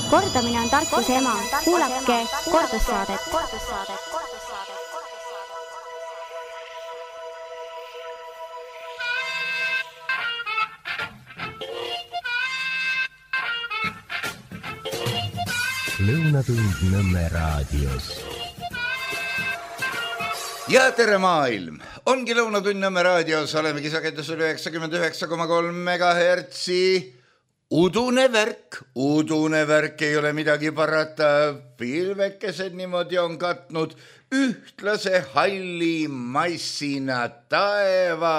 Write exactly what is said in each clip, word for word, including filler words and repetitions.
Kordamine on tarkuse ema. Kuulake kordussaadet. Lõunatund Nõmme raadios. Ja tere maailm! Ongi Lõunatund Nõmme raadios, olemegi sagedusel üheksakümmend üheksa koma kolm megahertsi. Udune värk, udune värk, ei ole midagi parata. Pilvekesed niimoodi on katnud ühtlase halli massina taeva.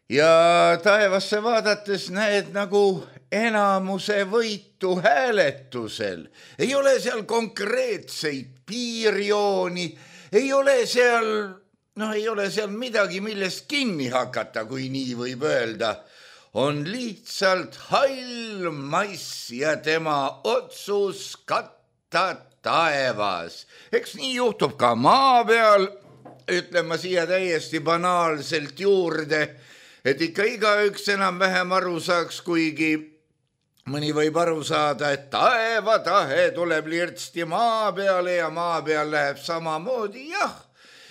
Ja taevasse vaadates näed nagu enamuse võitu hääletusel. Ei ole seal konkreetseid piirjooni, ei ole seal, no ei ole seal midagi, millest kinni hakata, kui nii võib öelda. On lihtsalt hall mass ja tema otsus katta taevas. Eks nii juhtub ka maa peal, ütlen ma siia täiesti banaalselt juurde, et ikka igaüks enam vähem aru saaks, kuigi mõni võib aru saada, et taevatahe tuleb lirtsti maa peale ja maa peal läheb samamoodi, jah,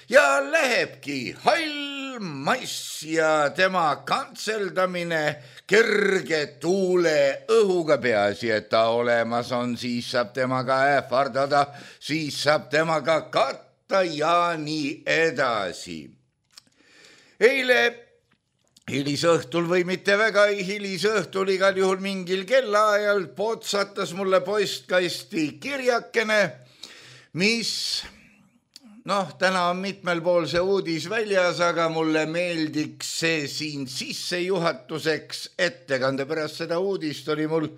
ja lähebki hall mass ja tema kantseldamine kerge tuule õhuga, peaasi, et ta olemas on, siis saab temaga ähvardada, siis saab temaga katta ja nii edasi. Eile hilisõhtul või mitte väga hilisõhtul, igal juhul mingil kellaajal potsatas mulle postkasti kirjakene, mis, noh, täna on mitmel pool see uudis väljas, aga mulle meeldiks see siin sissejuhatuseks ettekande. Pärast seda uudist oli mul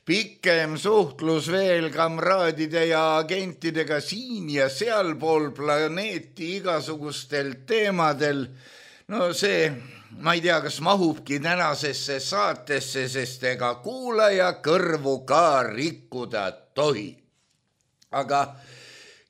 pikem suhtlus veel kamraadide ja agentidega siin ja sealpool planeeti igasugustel teemadel. No see, ma ei tea, kas mahubki tänasesse saatesse, sest ega kuulaja kõrvu ka rikkuda tohi. Aga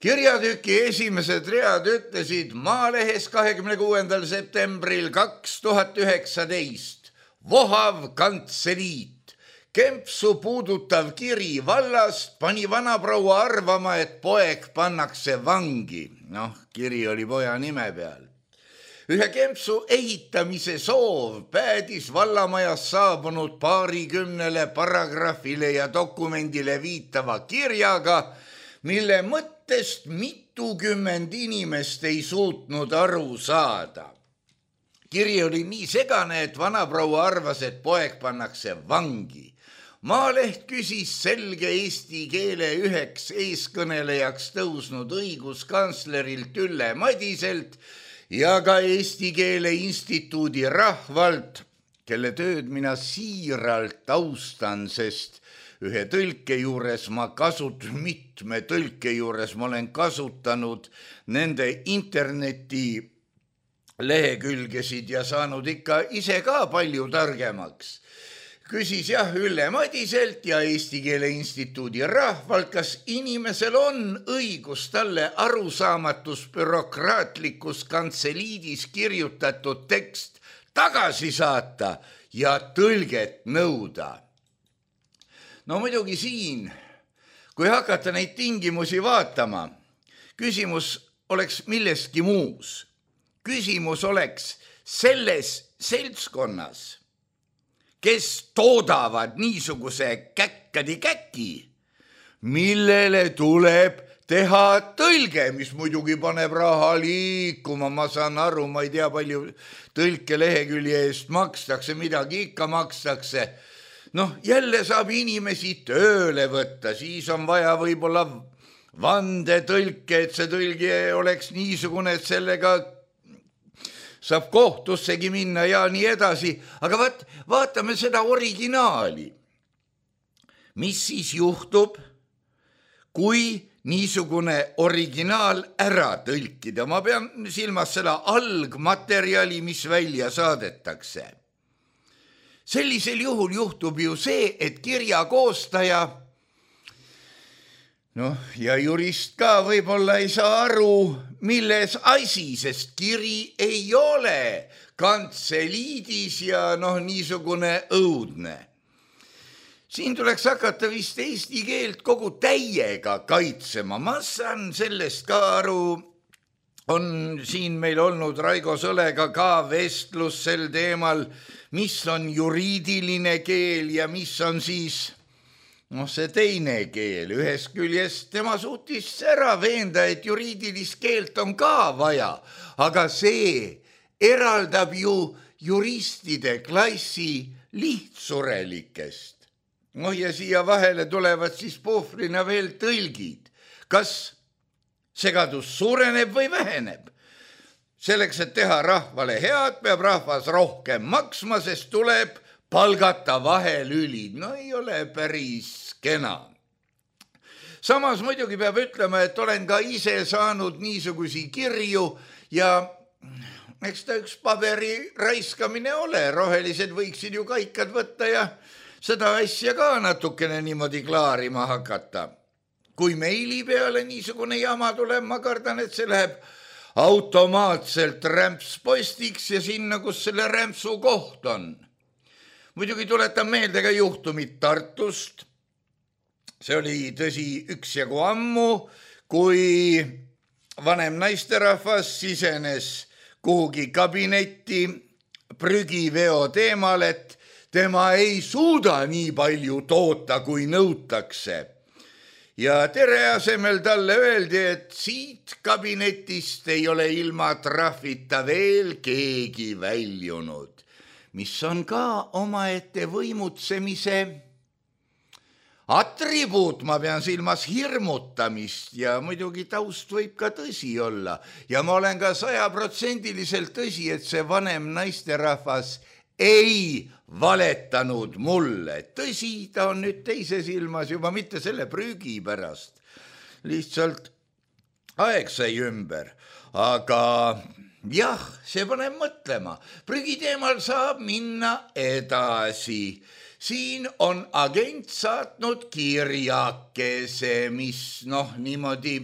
kirjatüki esimesed read ütlesid Maalehes kahekümne kuuendal septembril kaks tuhat üheksateist. Vohav kantseliit. Kempsu puudutav kiri vallast pani vanaproua arvama, et poeg pannakse vangi. Noh, kiri oli poja nime peal. Ühe Kempsu ehitamise soov päädis vallamajas saabunud paarikümnele paragrahvile ja dokumendile viitava kirjaga, mille mõttest mitukümmend inimest ei suutnud aru saada. Kiri oli nii segane, et vanaproua arvas, et poeg pannakse vangi. Maaleht küsis selge eesti keele üheks eeskõnelejaks tõusnud õiguskantslerilt Ülle Madiselt ja ka Eesti Keele Instituudi rahvalt, kelle tööd mina siiralt austan, sest ühe tõlke juures ma kasut, mitme tõlke juures ma olen kasutanud nende interneti lehekülgesid ja saanud ikka ise ka palju targemaks. Küsis jah Ülle Madiselt ja Eesti Keele Instituudi rahvalt, kas inimesel on õigus talle arusaamatus bürokraatlikus kantseliidis kirjutatud tekst tagasi saata ja tõlget nõuda. No muidugi siin, kui hakata neid tingimusi vaatama, küsimus oleks millestki muus. Küsimus oleks selles seltskonnas, kes toodavad niisuguse käkkadi käki, millele tuleb teha tõlge, mis muidugi paneb raha liikuma. Ma saan aru, ma ei tea, palju tõlke lehekülje eest makstakse, midagi ikka makstakse. Noh, jälle saab inimesi tööle võtta, siis on vaja võib-olla vandetõlke, et see tõlge oleks niisugune, et sellega saab kohtussegi minna ja nii edasi. Aga vaat, vaatame seda originaali. Mis siis juhtub, kui niisugune originaal ära tõlkida? Ma pean silmas seda algmaterjali, mis välja saadetakse. Sellisel juhul juhtub ju see, et kirja koostaja, noh, ja jurist ka võib-olla ei saa aru, milles asi, sest kiri ei ole kantseliidis ja noh, niisugune õudne. siin tuleks hakata vist eesti keelt kogu täiega kaitsema. Ma saan sellest ka aru, on siin meil olnud Raigo Sõlega ka vestlus sel teemal, mis on juriidiline keel ja mis on siis noh, see teine keel. Ühest küljest tema suutis ära veenda, et juriidilist keelt on ka vaja, aga see eraldab ju juristide klassi lihtsurelikest. No ja siia vahele tulevad siis puhvrina veel tõlgid. Kas segadus suureneb või väheneb? Selleks, et teha rahvale head, peab rahvas rohkem maksma, sest tuleb palgata vahelülid. No ei ole päris kena. Samas muidugi peab ütlema, et olen ka ise saanud niisugusi kirju ja eks ta üks paberi raiskamine ole. Rohelised võiksid ju kaikad võtta ja seda asja ka natukene niimoodi klaarima hakata. Kui meili peale niisugune jama tuleb, ma kardan, et see läheb automaatselt rämpspostiks ja sinna, kus selle rämpsu koht on. Muidugi tuletan meelde ka juhtumit Tartust. See oli tõsi üksjagu ammu, kui vanem naisterahvas sisenes kuhugi kabinetti prügiveo teemal, et tema ei suuda nii palju toota, kui nõutakse. Ja tere asemel talle öeldi, et siit kabinetist ei ole ilma trahvita veel keegi väljunud, mis on ka omaette võimutsemise atribuut, ma pean silmas hirmutamist ja muidugi taust võib ka tõsi olla. Ja ma olen ka sajaprotsendiliselt tõsi, et see vanem naisterahvas ei valetanud mulle. Tõsi, ta on nüüd teises ilmas juba mitte selle prügi pärast. Lihtsalt aeg sai ümber. Aga jah, see paneb mõtlema. Prügi teemal saab minna edasi. Siin on agent saatnud kirjakese, mis noh niimoodi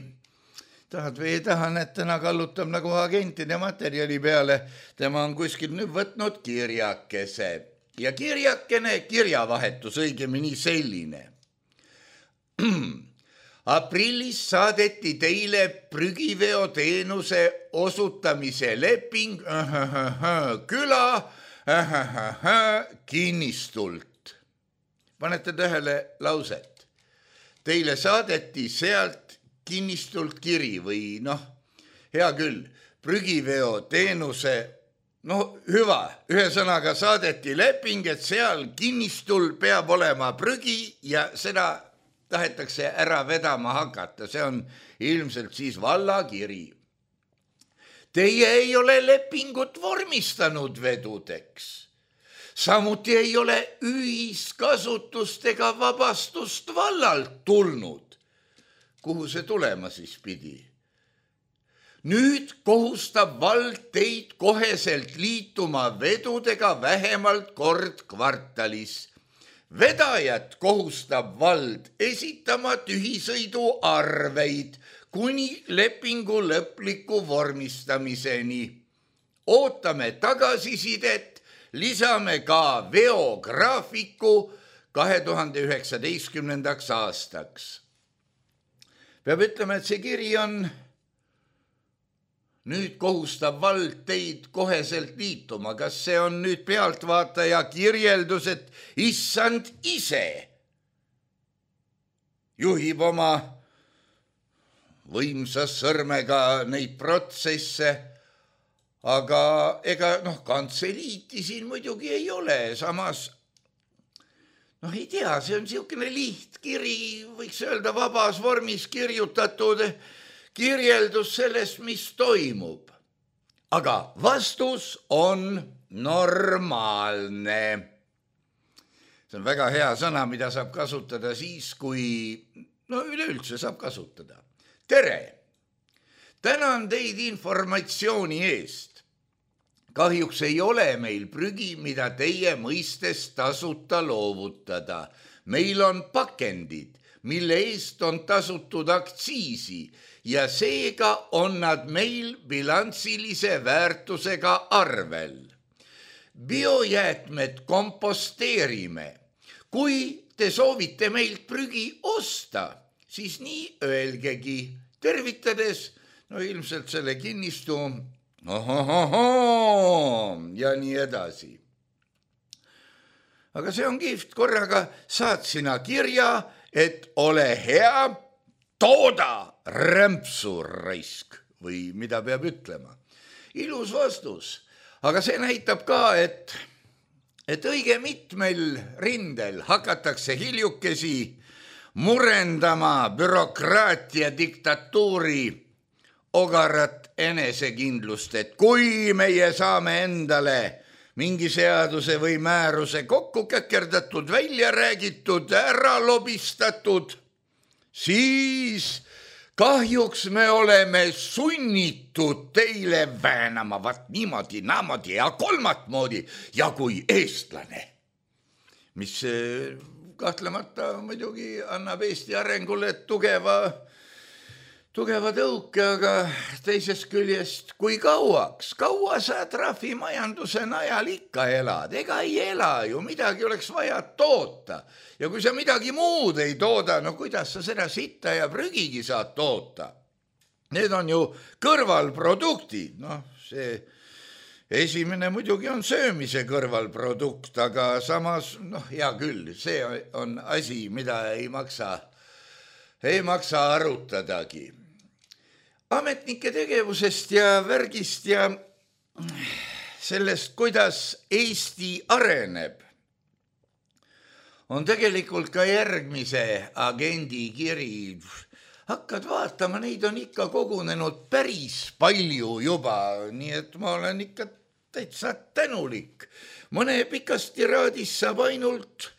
tahad või ei taha, et täna kallutab nagu agentide materjali peale. Tema on kuskil nüüd võtnud kirjakese. Ja kirjakene, kirjavahetus õigemini selline. Aprillis saadeti teile prügiveo teenuse osutamise leping küla kinnistult. Panete tähele lauset. Teile saadeti sealt kinnistult kiri või noh, hea küll, prügiveo teenuse, no hüva, ühe sõnaga saadeti leping, et seal kinnistul peab olema prügi ja seda tahetakse ära vedama hakata. See on ilmselt siis vallakiri. Teie ei ole lepingut vormistanud vedudeks. Samuti ei ole ühiskasutust ega vabastust vallalt tulnud. Kuhu see tulema siis pidi? Nüüd kohustab vald teid koheselt liituma vedudega vähemalt kord kvartalis. Vedajat kohustab vald esitama tühisõidu arveid kuni lepingu lõpliku vormistamiseni. Ootame tagasisidet, lisame ka veograafiku kahe tuhande üheksateistkümnendaks aastaks. Peab ütlema, et see kiri on nüüd kohustab vald teid koheselt liituma. Kas see on nüüd pealtvaataja kirjeldus, et issand ise juhib oma võimsa sõrmega neid protsesse, aga ega noh, kantseliiti siin muidugi ei ole, samas noh, ei tea, see on niisugune lihtkiri, võiks öelda vabas vormis kirjutatud kirjeldus sellest, mis toimub. Aga vastus on normaalne. See on väga hea sõna, mida saab kasutada siis, kui no üleüldse saab kasutada. Tere! Tänan teid informatsiooni eest. Kahjuks ei ole meil prügi, mida teie mõistes tasuta loovutada. Meil on pakendid, mille eest on tasutud aktsiisi ja seega on nad meil bilantsilise väärtusega arvel. Biojäätmed komposteerime. kui te soovite meilt prügi osta, siis nii öelgegi, tervitades, no ilmselt selle kinnistu, ohohoho, ja nii edasi. Aga see on kihvt, korraga saad sina kirja, et ole hea, tooda rämpsu raisk või mida peab ütlema. Ilus vastus, aga see näitab ka, et, et õige mitmel rindel hakatakse hiljukesi murendama bürokraatia diktatuuri ogarat enesekindlust, et kui meie saame endale mingi seaduse või määruse kokku käkerdatud, välja räägitud, ära lobistatud, siis kahjuks me oleme sunnitud teile väänama vat niimoodi, naamodi ja kolmat moodi ja kui eestlane, mis kahtlemata muidugi annab Eesti arengule tugeva tugeva tõuke, aga teisest küljest, kui kauaks, kaua sa trahvimajanduse najal ikka elad, ega ei ela ju, midagi oleks vaja toota. Ja kui sa midagi muud ei tooda, no kuidas sa seda sitta ja prügigi saad toota? Need on ju kõrvalproduktid, noh see esimene muidugi on söömise kõrvalprodukt, aga samas, noh hea küll, see on asi, mida ei maksa, ei maksa arutadagi. Ametnike tegevusest ja värgist ja sellest, kuidas Eesti areneb, on tegelikult ka järgmise agendi kiri. Hakkad vaatama, neid on ikka kogunenud päris palju juba, nii et ma olen ikka täitsa tänulik. Mõne pikast tiraadis saab ainult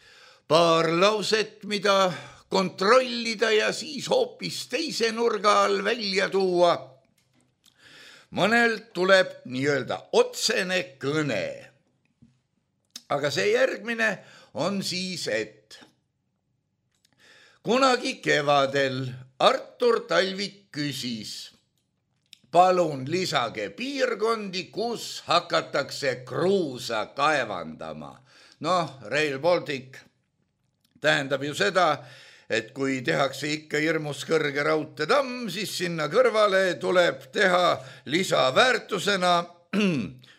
paar lauset, mida kontrollida ja siis hoopis teise nurga all välja tuua. Mõnelt tuleb nii-öelda otsene kõne. Aga see järgmine on siis, et kunagi kevadel Artur Talvik küsis, palun lisage piirkondi, kus hakatakse kruusa kaevandama. Noh, Rail Baltic tähendab ju seda, et kui tehakse ikka hirmus kõrge raudteetamm, siis sinna kõrvale tuleb teha lisaväärtusena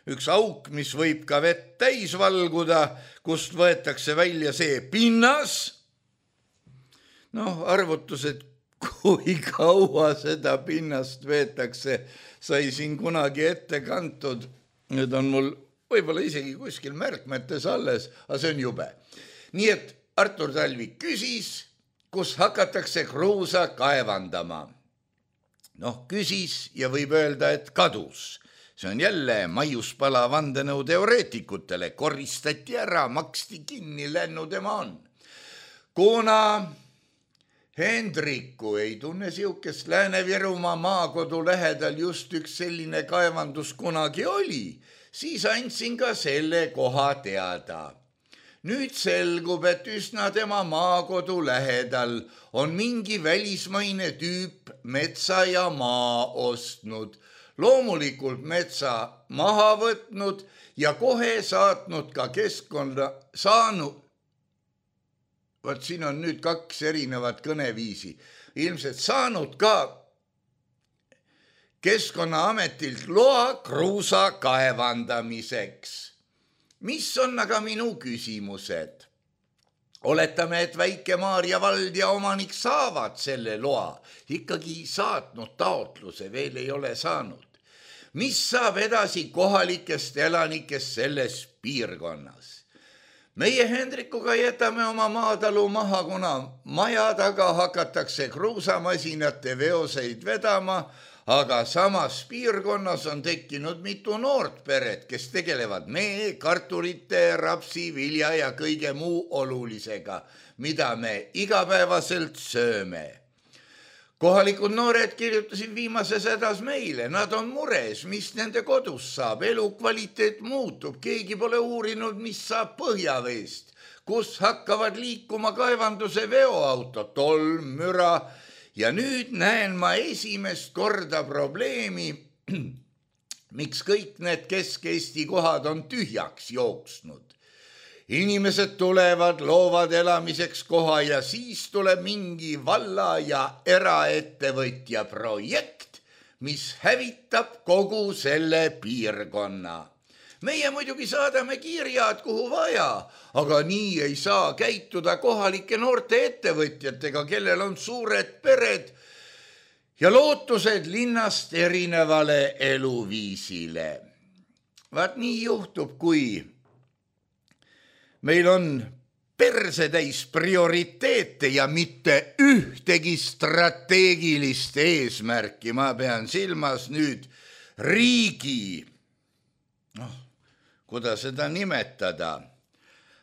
üks auk, mis võib ka vett täis valguda, kust võetakse välja see pinnas. Noh, arvutused, kui kaua seda pinnast veetakse, sai siin kunagi ette kantud. Nüüd on mul võib-olla isegi kuskil märkmetes alles, aga see on jube. Nii et Artur Talvik küsis, kus hakatakse kruusa kaevandama. Noh, küsis ja võib öelda, et kadus. See on jälle maiuspala vandenõu teoreetikutele. Koristati ära, maksti kinni, lännu tema on. Kuna Hendriku ei tunne siukest Lääne-Virumaa maakodu lähedal just üks selline kaevandus kunagi oli, siis andsin ka selle koha teada. Nüüd selgub, et üsna tema maakodu lähedal on mingi välismaine tüüp metsa ja maa ostnud, loomulikult metsa maha võtnud ja kohe saatnud ka keskkonna saanud. Vaat siin on nüüd kaks erinevat kõneviisi. Ilmselt saanud ka Keskkonnaametilt loa kruusa kaevandamiseks. Mis on aga minu küsimused? Oletame, et Väike-Maarja vald ja omanik saavad selle loa. Ikkagi saatnud taotluse, veel ei ole saanud. Mis saab edasi kohalikest elanikest selles piirkonnas? Meie Hendrikuga jätame oma maatalu maha, kuna maja taga hakatakse kruusamasinate veoseid vedama, aga samas piirkonnas on tekkinud mitu noort peret, kes tegelevad mee, kartulite, rapsi, vilja ja kõige muu olulisega, mida me igapäevaselt sööme. Kohalikud noored kirjutasid viimases hädas meile, nad on mures, mis nende kodus saab, elukvaliteet muutub, keegi pole uurinud, mis saab põhjaveest, kus hakkavad liikuma kaevanduse veoauto, tolm, müra. Ja nüüd näen ma esimest korda probleemi, miks kõik need Kesk-Eesti kohad on tühjaks jooksnud. inimesed tulevad, loovad elamiseks koha ja siis tuleb mingi valla ja eraettevõtja projekt, mis hävitab kogu selle piirkonna. Meie muidugi saadame kirjad kuhu vaja, aga nii ei saa käituda kohalike noorte ettevõtjatega, kellel on suured pered ja lootused linnast erinevale eluviisile. Vaat nii juhtub, kui meil on persetäis prioriteete ja mitte ühtegi strateegilist eesmärki. Ma pean silmas nüüd riigi, noh, kuidas seda nimetada,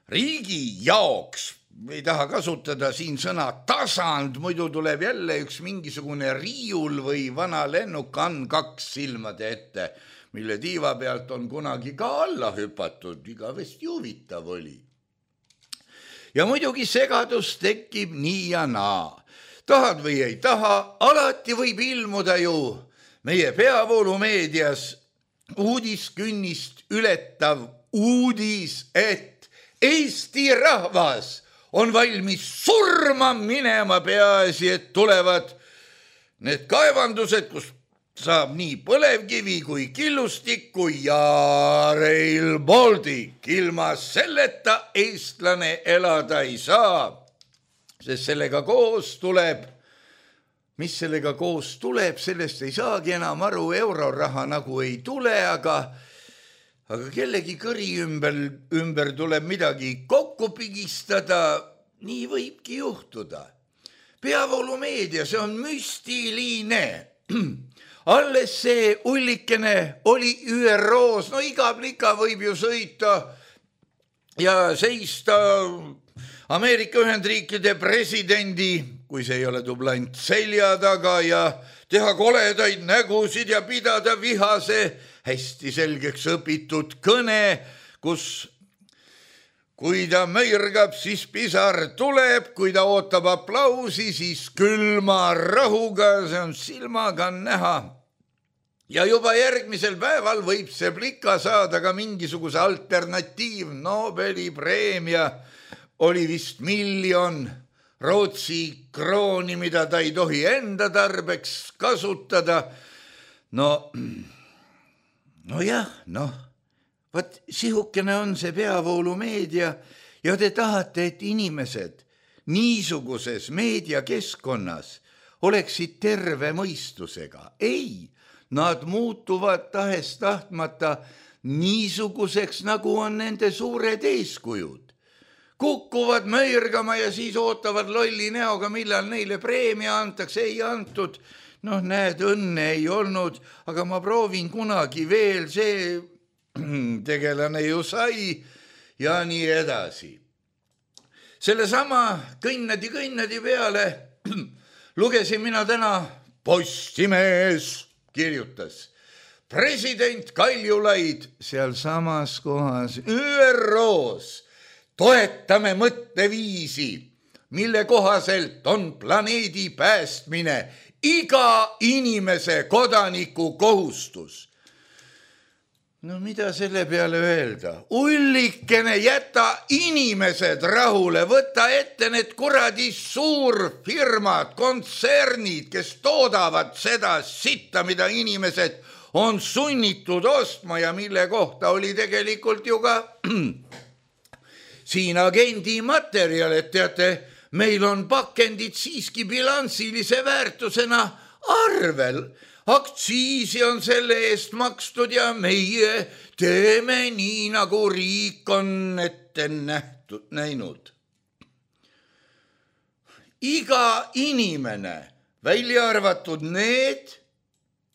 riigi jaoks, ei taha kasutada siin sõna tasand, muidu tuleb jälle üks mingisugune riiul või vana lennukann kaks silmade ette, mille tiiva pealt on kunagi ka alla hüpatud, igavesti huvitav oli. Ja muidugi segadus tekib nii ja naa. Tahad või ei taha, alati võib ilmuda ju meie peavoolumeedias uudiskünnist ületav uudis, et Eesti rahvas on valmis surma minema, peaasi, et tulevad need kaevandused, kus saab nii põlevkivi kui killustikku ja Rail Baltic. Ilma selleta eestlane elada ei saa, sest sellega koos tuleb, mis sellega koos tuleb, sellest ei saagi enam aru, euroraha nagu ei tule, aga, aga kellegi kõri ümber, ümber tuleb midagi kokku pigistada, nii võibki juhtuda. Peavoolumeedia, see on müstiline. Alles see ullikene oli Ü R O-s, no iga plika võib ju sõita ja seista Ameerika Ühendriikide presidendi, kui see ei ole dublant, selja taga ja teha koledaid nägusid ja pidada vihase, hästi selgeks õpitud kõne, kus kui ta möirgab, siis pisar tuleb, kui ta ootab aplausi, siis külma rahuga, see on silmaga näha. Ja juba järgmisel päeval võib see plika saada ka mingisuguse alternatiiv Nobeli preemia, oli vist miljon Rootsi krooni, mida ta ei tohi enda tarbeks kasutada. No, no jah, noh, vaat sihukene on see peavoolumeedia ja te tahate, et inimesed niisuguses meediakeskkonnas oleksid terve mõistusega. Ei, nad muutuvad tahes tahtmata niisuguseks, nagu on nende suured eeskujud. Kukkuvad möirgama ja siis ootavad lolli näoga, millal neile preemia antakse, ei antud. Noh, näed, õnne ei olnud, aga ma proovin kunagi veel, see tegelane ju sai ja nii edasi. Selle sama kõnnadi kõnnadi peale lugesin mina täna, Postimees kirjutas. President Kaljulaid seal samas kohas Ü R O-s toetame mõtteviisi, mille kohaselt on planeedi päästmine iga inimese kodaniku kohustus. No mida selle peale öelda? Ullikene, jäta inimesed rahule, võta ette need kuradi suurfirmad, kontsernid, kes toodavad seda sitta, mida inimesed on sunnitud ostma ja mille kohta oli tegelikult ju ka siin agendi materjal, et teate, meil on pakendid siiski bilansilise väärtusena arvel. Aktsiisi on selle eest makstud ja meie teeme nii, nagu riik on ette nähtud, näinud. Iga inimene, välja arvatud need,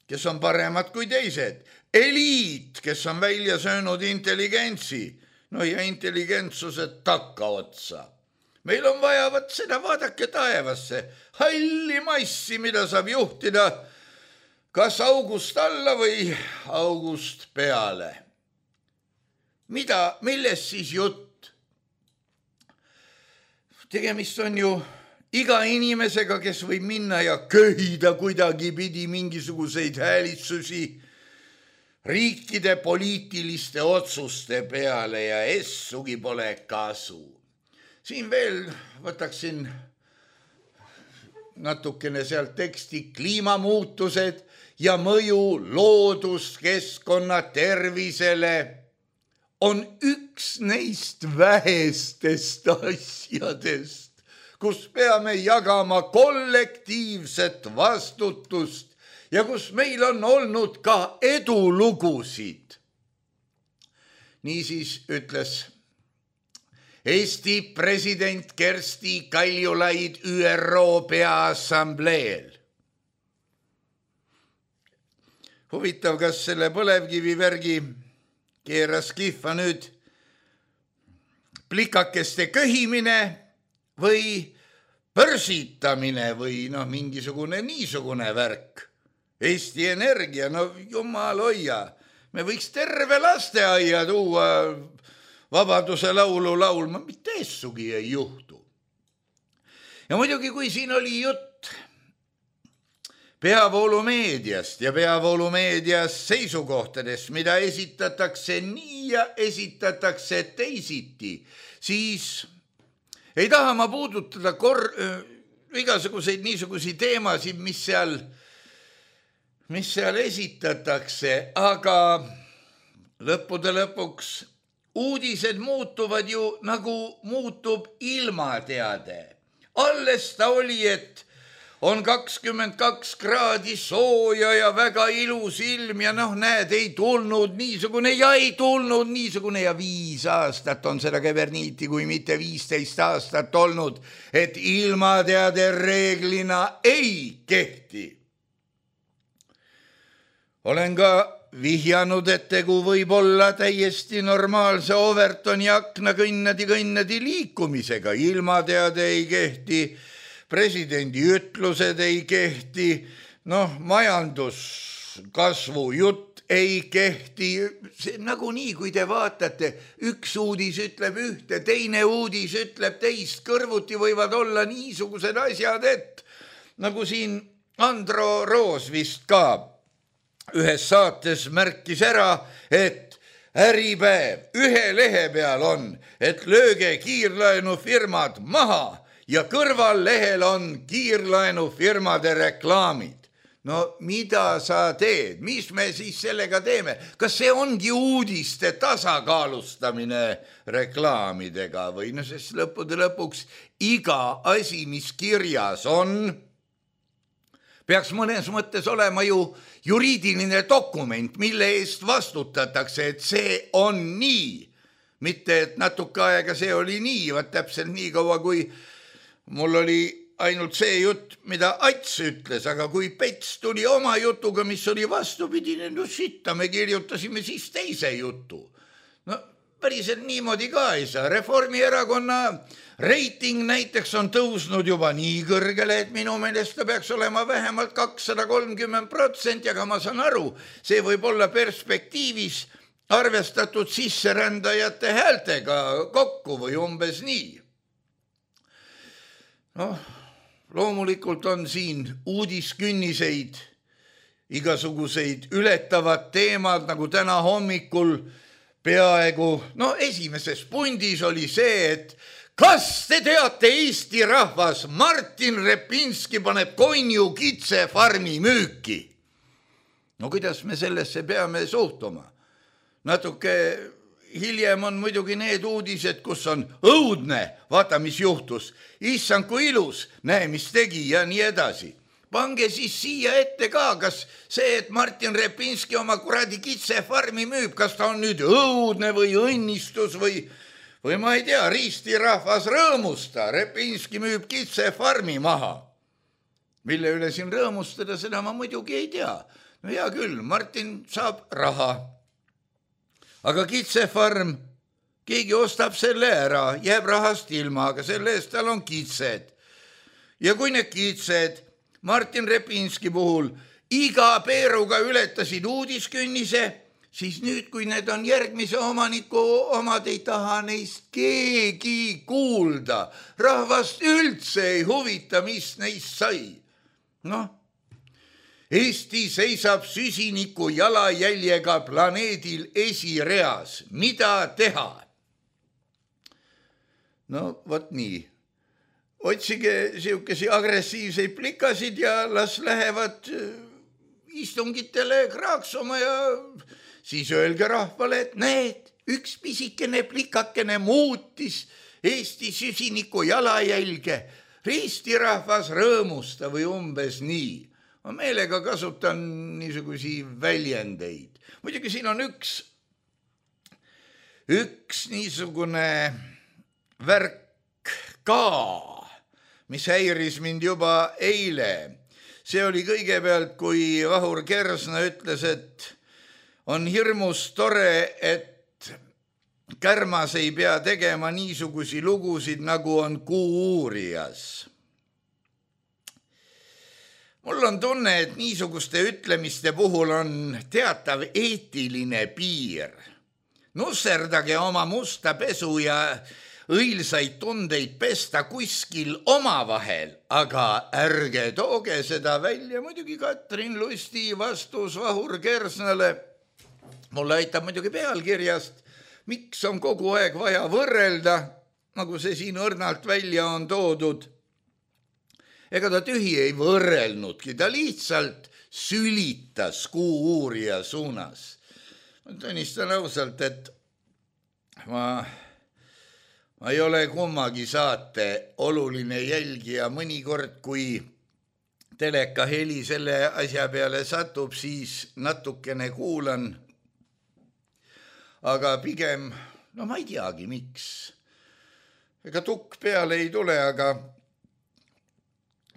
kes on paremad kui teised, eliit, kes on välja söönud intelligentsi, no ja intelligentsuse takka otsa. Meil on vaja võt seda, vaadake taevasse, halli massi, mida saab juhtida kas august alla või august peale. Mida, milles siis jutt? Tegemist on ju iga inimesega, kes võib minna ja köhida kuidagi pidi mingisuguseid häälitsusi riikide poliitiliste otsuste peale ja essugi pole kasu. Siin veel võtaksin natukene sealt teksti kliimamuutused ja mõju looduskeskkonna tervisele on üks neist vähestest asjadest, kus peame jagama kollektiivset vastutust ja kus meil on olnud ka edulugusid. Niisiis ütles Eesti president Kersti Kaljulaid Ü R O Peaassambleel. Huvitav, kas selle põlevkivi värgi keeras kihva nüüd plikakeste köhimine või pörsitamine või noh, mingisugune niisugune värk. Eesti Energia, no jumal hoia, me võiks terve lasteaia tuua Vabaduse laulu laulma, mitte essugi ei juhtu. Ja muidugi, kui siin oli jutt peavoolumeediast ja peavoolumeedias seisukohtadest, mida esitatakse nii ja esitatakse teisiti, siis ei taha ma puudutada kor-, igasuguseid niisuguseid teemasid, mis seal, mis seal esitatakse, aga lõppude lõpuks uudised muutuvad ju nagu muutub ilmateade. Alles ta oli, et on kakskümmend kaks kraadi sooja ja väga ilus ilm ja noh, näed, ei tulnud niisugune ja ei tulnud niisugune ja viis aastat on seda keverniiti, kui mitte viisteist aastat olnud, et ilmateade reeglina ei kehti. Olen ka vihjanud, et tegu võib olla täiesti normaalse Overtoni akna kõnnadi kõnnadi liikumisega. Ilmateade ei kehti, presidendi ütlused ei kehti, noh, majanduskasvu jutt ei kehti. See nagunii, kui te vaatate, üks uudis ütleb ühte, teine uudis ütleb teist, kõrvuti võivad olla niisugused asjad, et nagu siin Andro Roos vist ka ühes saates märkis ära, et Äripäev ühe lehe peal on, et lööge kiirlaenufirmad maha ja kõrval lehel on kiirlaenufirmade reklaamid. No mida sa teed? Mis me siis sellega teeme? Kas see ongi uudiste tasakaalustamine reklaamidega või no sest lõppude lõpuks iga asi, mis kirjas on, peaks mõnes mõttes olema ju juriidiline dokument, mille eest vastutatakse, et see on nii. Mitte, et natuke aega see oli nii, vaat täpselt nii kaua, kui mul oli ainult see jutt, mida Ats ütles, aga kui Pets tuli oma jutuga, mis oli vastupidine, no sitta, me kirjutasime siis teise jutu. No päriselt niimoodi ka ei saa. Reformierakonna reiting näiteks on tõusnud juba nii kõrgele, et minu meelest ta peaks olema vähemalt kakssada kolmkümmend protsenti, aga ma saan aru, see võib olla perspektiivis arvestatud sisserändajate häältega kokku või umbes nii. Noh, loomulikult on siin uudiskünniseid, igasuguseid ületavad teemad, nagu täna hommikul peaaegu, no esimeses pundis oli see, et kas te teate, Eesti rahvas, Martin Repinski paneb Konju kitsefarmi müüki? No kuidas me sellesse peame suhtuma? Natuke hiljem on muidugi need uudised, kus on õudne, vaata mis juhtus, issand kui ilus, näe mis tegi ja nii edasi. Pange siis siia ette ka, kas see, et Martin Repinski oma kuradi kitsefarmi müüb, kas ta on nüüd õudne või õnnistus või, või ma ei tea, riistirahvas rõõmusta, Repinski müüb kitsefarmi maha. Mille üle siin rõõmustada, seda ma muidugi ei tea. No hea küll, Martin saab raha. Aga kitsefarm, keegi ostab selle ära, jääb rahast ilma, aga selle eest tal on kitsed. Ja kui need kitsed Martin Repinski puhul iga peeruga ületasid uudiskünnise, siis nüüd, kui need on järgmise omaniku omad, ei taha neist keegi kuulda. Rahvast üldse ei huvita, mis neist sai. Noh, Eesti seisab süsiniku jalajäljega planeedil esireas. Mida teha? No, vot nii. Otsige siukesi agressiivseid plikasid ja las lähevad istungitele kraaksuma ja siis öelge rahvale, et need, üks pisikene plikakene muutis Eesti süsiniku jalajälge. Eesti rahvas rõõmusta või umbes nii. Ma meelega kasutan niisugusi väljendeid. Muidugi siin on üks, üks niisugune värk ka, mis häiris mind juba eile. See oli kõigepealt, kui Vahur Kersna ütles, et on hirmus tore, et Kärmas ei pea tegema niisugusi lugusid, nagu on Kuu-uurijas. Mul on tunne, et niisuguste ütlemiste puhul on teatav eetiline piir. Nusserdage oma musta pesu ja õilsaid tundeid pesta kuskil omavahel, aga ärge tooge seda välja. Muidugi Katrin Lusti vastus Vahur Kersnale. Mulle aitab muidugi pealkirjast, miks on kogu aeg vaja võrrelda, nagu see siin õrnalt välja on toodud. Ega ta tühi ei võrrelnudki, ta lihtsalt sülitas Kuu-uurija suunas. Ma tunnistan ausalt, et ma, ma ei ole kummagi saate oluline jälgija. Mõnikord, kui teleka heli selle asja peale satub, siis natukene kuulan. Aga pigem, no ma ei teagi, miks. Ega tukk peale ei tule, aga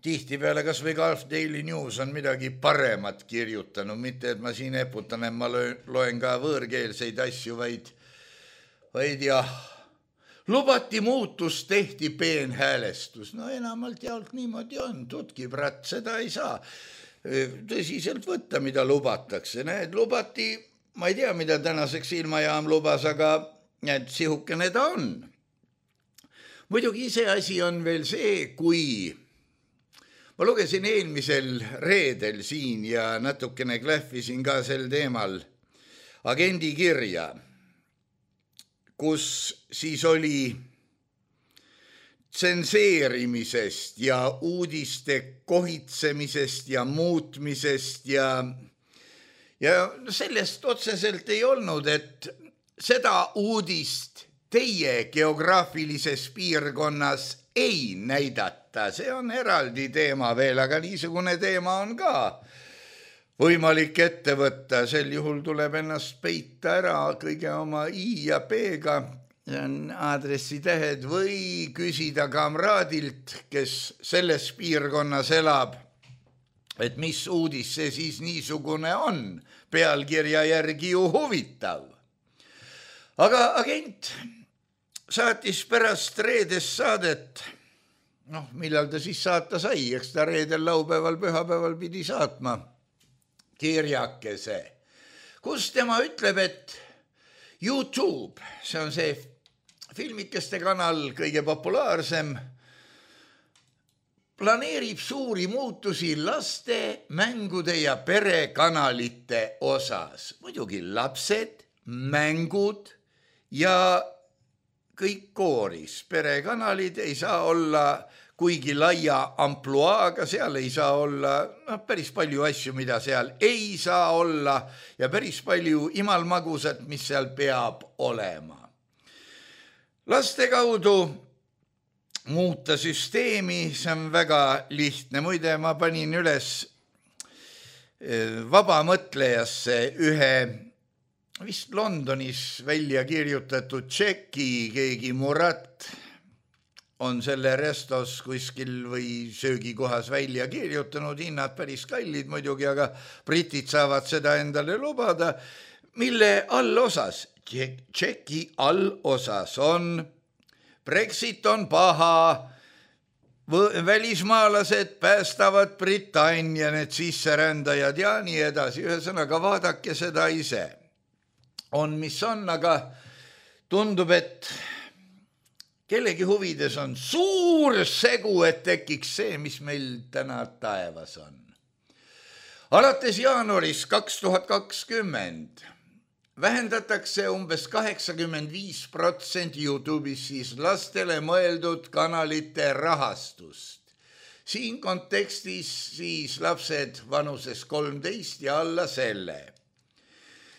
tihti peale kas või Gulf Daily News on midagi paremat kirjutanud, mitte et ma siin eputan, et ma loen ka võõrkeelseid asju, vaid, vaid jah, lubati muutus, tehti peenhäälestus. No enamalt jaolt niimoodi on, tutki brat, seda ei saa tõsiselt võtta, mida lubatakse. Need lubati, ma ei tea, mida tänaseks ilmajaam lubas, aga et sihukene ta on. Muidugi ise asi on veel see, kui ma lugesin eelmisel reedel siin ja natukene klähvisin ka sel teemal agendi kirja, kus siis oli tsenseerimisest ja uudiste kohitsemisest ja muutmisest ja Ja sellest otseselt ei olnud, et seda uudist teie geograafilises piirkonnas ei näidata. See on eraldi teema veel, aga niisugune teema on ka võimalik ette võtta. Sel juhul tuleb ennast peita ära kõige oma i ja p-ga, aadressitähed, või küsida kamraadilt, kes selles piirkonnas elab, et mis uudis see siis niisugune on, pealkirja järgi ju huvitav. Aga agent saatis pärast reedest saadet, noh, millal ta siis saata sai, eks ta reedel, laupäeval, pühapäeval pidi saatma kirjakese, kus tema ütleb, et YouTube, see on see filmikeste kanal, kõige populaarsem, planeerib suuri muutusi laste, mängude ja perekanalite osas. Muidugi lapsed, mängud ja kõik kooris. Perekanalid ei saa olla kuigi laia ampluaaga, seal ei saa olla no, päris palju asju, mida seal ei saa olla ja päris palju imalmagusat, mis seal peab olema. Laste kaudu muuta süsteemi, see on väga lihtne. Muide, ma panin üles vabamõtlejasse ühe vist Londonis välja kirjutatud tšeki, keegi Murat on selle restos kuskil või söögikohas välja kirjutanud, hinnad päris kallid muidugi, aga britid saavad seda endale lubada, mille allosas, tšeki allosas on Brexit on paha, välismaalased päästavad Britannia, need sisserändajad ja nii edasi. Ühesõnaga, vaadake seda ise. On, mis on, aga tundub, et kellegi huvides on suur segu, et tekiks see, mis meil täna taevas on. alates jaanuaris kaks tuhat kakskümmend vähendatakse umbes kaheksakümmend viis protsenti YouTube'is siis lastele mõeldud kanalite rahastust. Siin kontekstis siis lapsed vanuses kolmteist ja alla selle.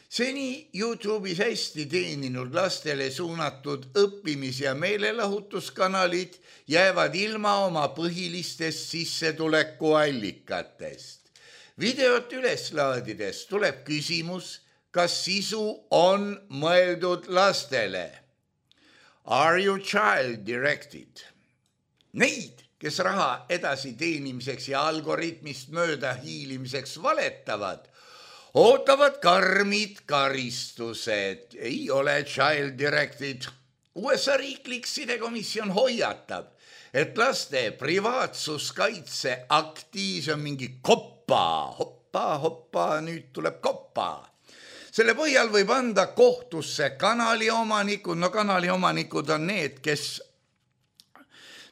Seni YouTube'is hästi teeninud lastele suunatud õppimis- ja meelelahutuskanalid jäävad ilma oma põhilistest sissetulekuallikatest. Videot üles laadides tuleb küsimus, kas sisu on mõeldud lastele. Are you child directed? Neid, kes raha edasi teenimiseks ja algoritmist mööda hiilimiseks valetavad, ootavad karmid karistused. Ei ole child directed. U S A riiklik sidekomisjon hoiatab, et laste privaatsuskaitse aktiis on mingi koppa, hoppa, hoppa, nüüd tuleb koppa. Selle põhjal võib anda kohtusse kanali omanikud, no kanali omanikud on need, kes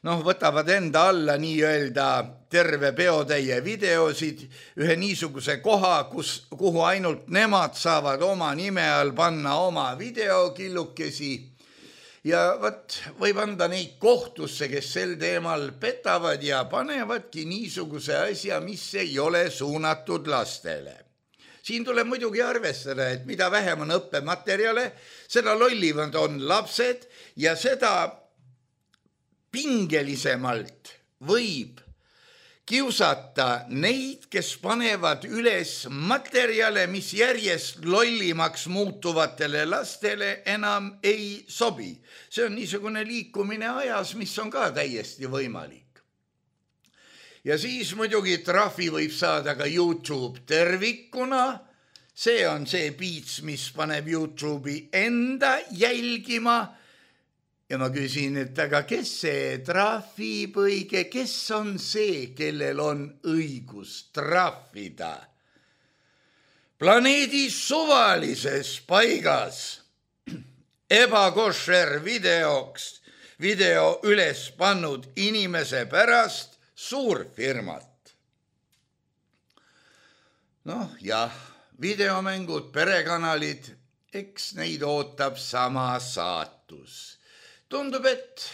noh, võtavad enda alla nii-öelda terve peotäie videosid, ühe niisuguse koha, kus, kuhu ainult nemad saavad oma nime all panna oma videokillukesi ja võt, võib anda neid kohtusse, kes sel teemal petavad ja panevadki niisuguse asja, mis ei ole suunatud lastele. Siin tuleb muidugi arvestada, et mida vähem on õppematerjale, seda lollivad on lapsed ja seda pingelisemalt võib kiusata neid, kes panevad üles materjale, mis järjest lollimaks muutuvatele lastele enam ei sobi. See on niisugune liikumine ajas, mis on ka täiesti võimalik. Ja siis muidugi trahvi võib saada ka YouTube tervikuna. See on see piits, mis paneb YouTube'i enda jälgima. Ja ma küsin, et aga kes see trahvib õige, kes on see, kellel on õigus trahvida? Planeedi suvalises paigas ebakošer videoks, video üles pannud inimese pärast suurfirmat. Noh, jah, videomängud, perekanalid, eks neid ootab sama saatus. Tundub, et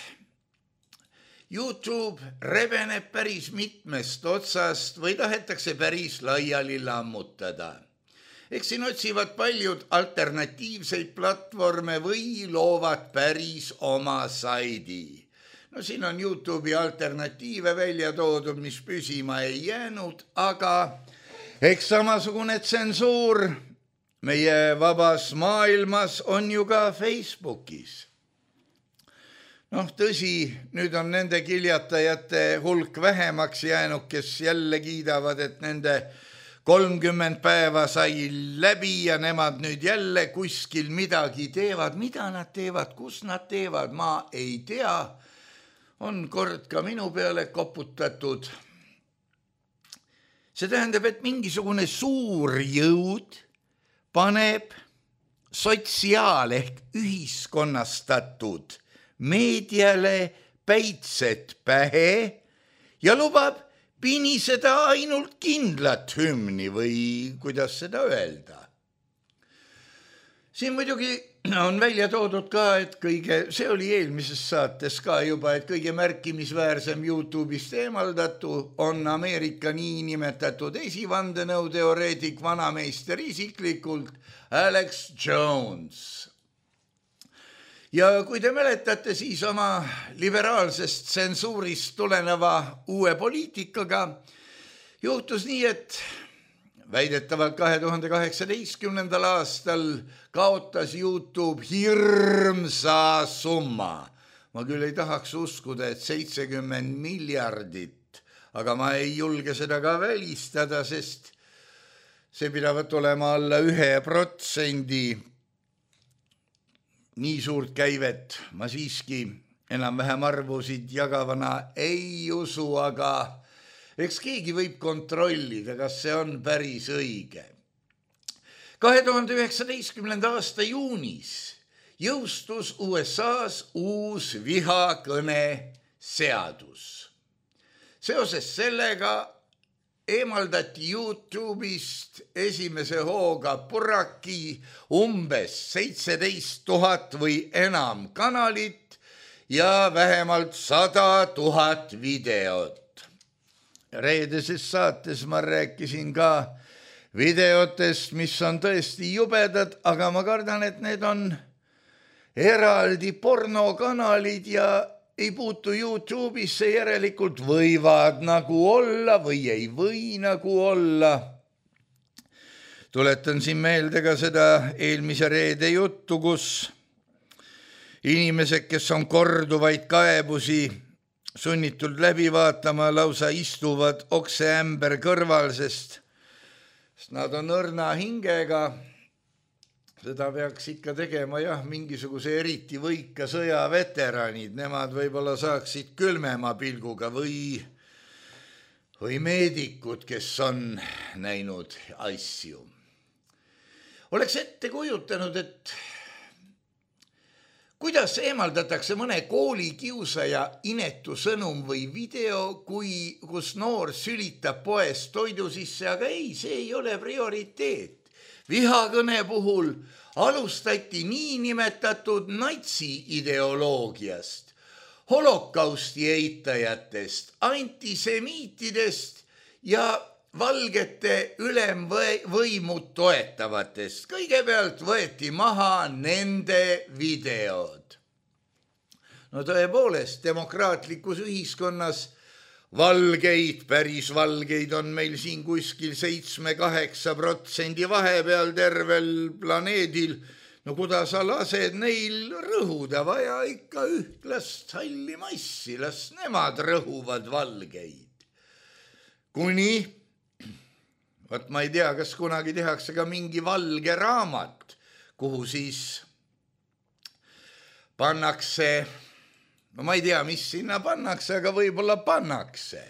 YouTube rebeneb päris mitmest otsast või tahetakse päris laiali lammutada. Eks siin otsivad paljud alternatiivseid platvorme või loovad päris oma saidi. No siin on YouTube'i alternatiive välja toodud, mis püsima ei jäänud, aga eks samasugune tsensuur meie vabas maailmas on ju ka Facebookis. Noh, tõsi, nüüd on nende kiljatajate hulk vähemaks jäänud, kes jälle kiidavad, et nende kolmkümmend päeva sai läbi ja nemad nüüd jälle kuskil midagi teevad. Mida nad teevad, kus nad teevad, ma ei tea. On kord ka minu peale koputatud. See tähendab, et mingisugune suur jõud paneb sotsiaal- ehk ühiskonnastatud meediale päitset pähe ja lubab piniseda ainult kindlat hümni või kuidas seda öelda. Siin muidugi on välja toodud ka, et kõige, see oli eelmises saates ka juba, et kõige märkimisväärsem YouTube'ist eemaldatu on Ameerika niinimetatud esivandenõuteoreetik, vanameister isiklikult Alex Jones. Ja kui te mäletate, siis oma liberaalsest tsensuurist tuleneva uue poliitikaga juhtus nii, et väidetavalt kahe tuhande kaheksateistkümnendal aastal kaotas YouTube hirmsa summa. Ma küll ei tahaks uskuda, et seitsekümmend miljardit, aga ma ei julge seda ka välistada, sest see pidavat olema alla ühe protsendi. Nii suurt käivet ma siiski enam-vähem arvusid jagavana ei usu, aga eks keegi võib kontrollida, kas see on päris õige. kahe tuhande üheksateistkümnenda aasta juunis jõustus U S A-s uus vihakõne seadus. Seoses sellega eemaldati YouTube'ist esimese hooga purraki umbes seitseteist tuhat või enam kanalit ja vähemalt sada tuhat videot. Reedeses saates ma rääkisin ka videotest, mis on tõesti jubedad, aga ma kardan, et need on eraldi pornokanalid ja ei puutu YouTube'isse, järelikult võivad nagu olla või ei või nagu olla. Tuletan siin meelde ka seda eelmise reede juttu, kus inimesed, kes on korduvaid kaebusi sunnitud läbi vaatama, lausa istuvad okseämber kõrval, sest nad on õrna hingega. Seda peaks ikka tegema jah, mingisuguse eriti võika sõjaveteranid, nemad võib-olla saaksid külmema pilguga või, või meedikud, kes on näinud asju. Oleks ette kujutanud, et kuidas eemaldatakse mõne koolikiusaja inetu sõnum või video, kui, kus noor sülitab poes toidu sisse, aga ei, see ei ole prioriteet. Vihakõne puhul alustati niinimetatud natsi-ideoloogiast, holokausti eitajatest, antisemiitidest ja valgete ülemvõimu toetavatest. Kõigepealt võeti maha nende videod. No tõepoolest, demokraatlikus ühiskonnas valgeid, päris valgeid on meil siin kuskil seitsme kaheksa protsendi vahepeal tervel planeedil. No kuidas sa lased neil rõhuda, vaja ikka ühtlast halli massi, las nemad rõhuvad valgeid. Kuni, võt ma ei tea, kas kunagi tehakse ka mingi valge raamat, kuhu siis pannakse... No ma ei tea, mis sinna pannakse, aga võib-olla pannakse.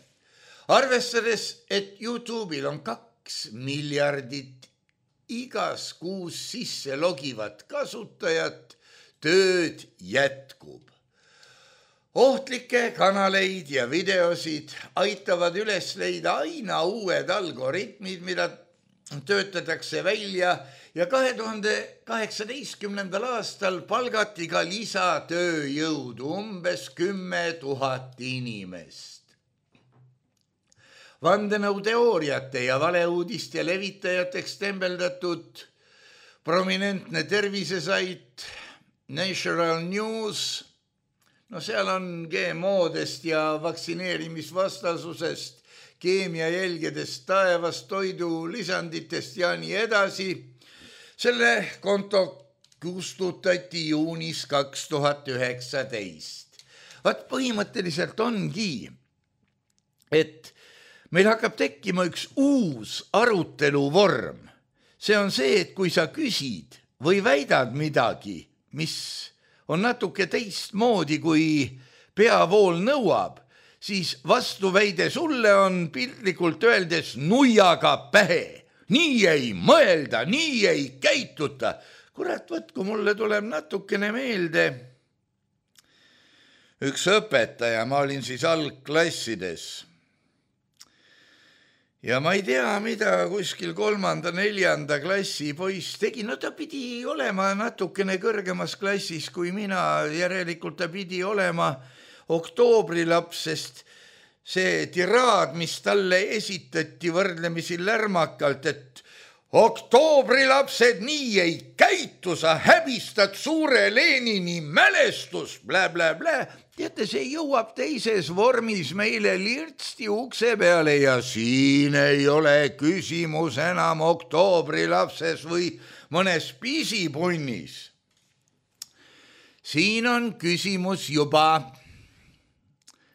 Arvestades, et YouTube'il on kaks miljardit igas kuus sisse logivat kasutajat, tööd jätkub. Ohtlikke kanaleid ja videosid aitavad üles leida aina uued algoritmid, mida töötatakse välja ja kahe tuhande kaheksateistkümnendal aastal palgati ka lisatööjõudu umbes kümme tuhat inimest. Vandenõuteooriate ja valeuudiste levitajateks tembeldatud prominentne tervisesait Natural News, no seal on G M O-dest ja vaktsineerimisvastasusest, keemiajälgedest, taevast, toidu lisanditest ja nii edasi. Selle konto kustutati juunis kaks tuhat üheksateist. Vaat põhimõtteliselt ongi, et meil hakkab tekkima üks uus aruteluvorm. See on see, et kui sa küsid või väidad midagi, mis on natuke teistmoodi, kui peavool nõuab, siis vastuväide sulle on piltlikult öeldes nuiaga pähe. Nii ei mõelda, nii ei käituta. Kurat, võt, kui mulle tuleb natukene meelde. Üks õpetaja, ma olin siis algklassides. Ja ma ei tea, mida kuskil kolmanda, neljanda klassi poiss tegi. No ta pidi olema natukene kõrgemas klassis kui mina. Järelikult ta pidi olema oktoobrilaps, sest see tiraad, mis talle esitati võrdlemisi lärmakalt, et oktoobrilapsed nii ei käitu, sa häbistad suure Lenini mälestus, blä, blä, blä. Teate, see jõuab teises vormis meile lirtsti ukse peale ja siin ei ole küsimus enam oktoobrilapses või mõnes pisipunnis. Siin on küsimus juba...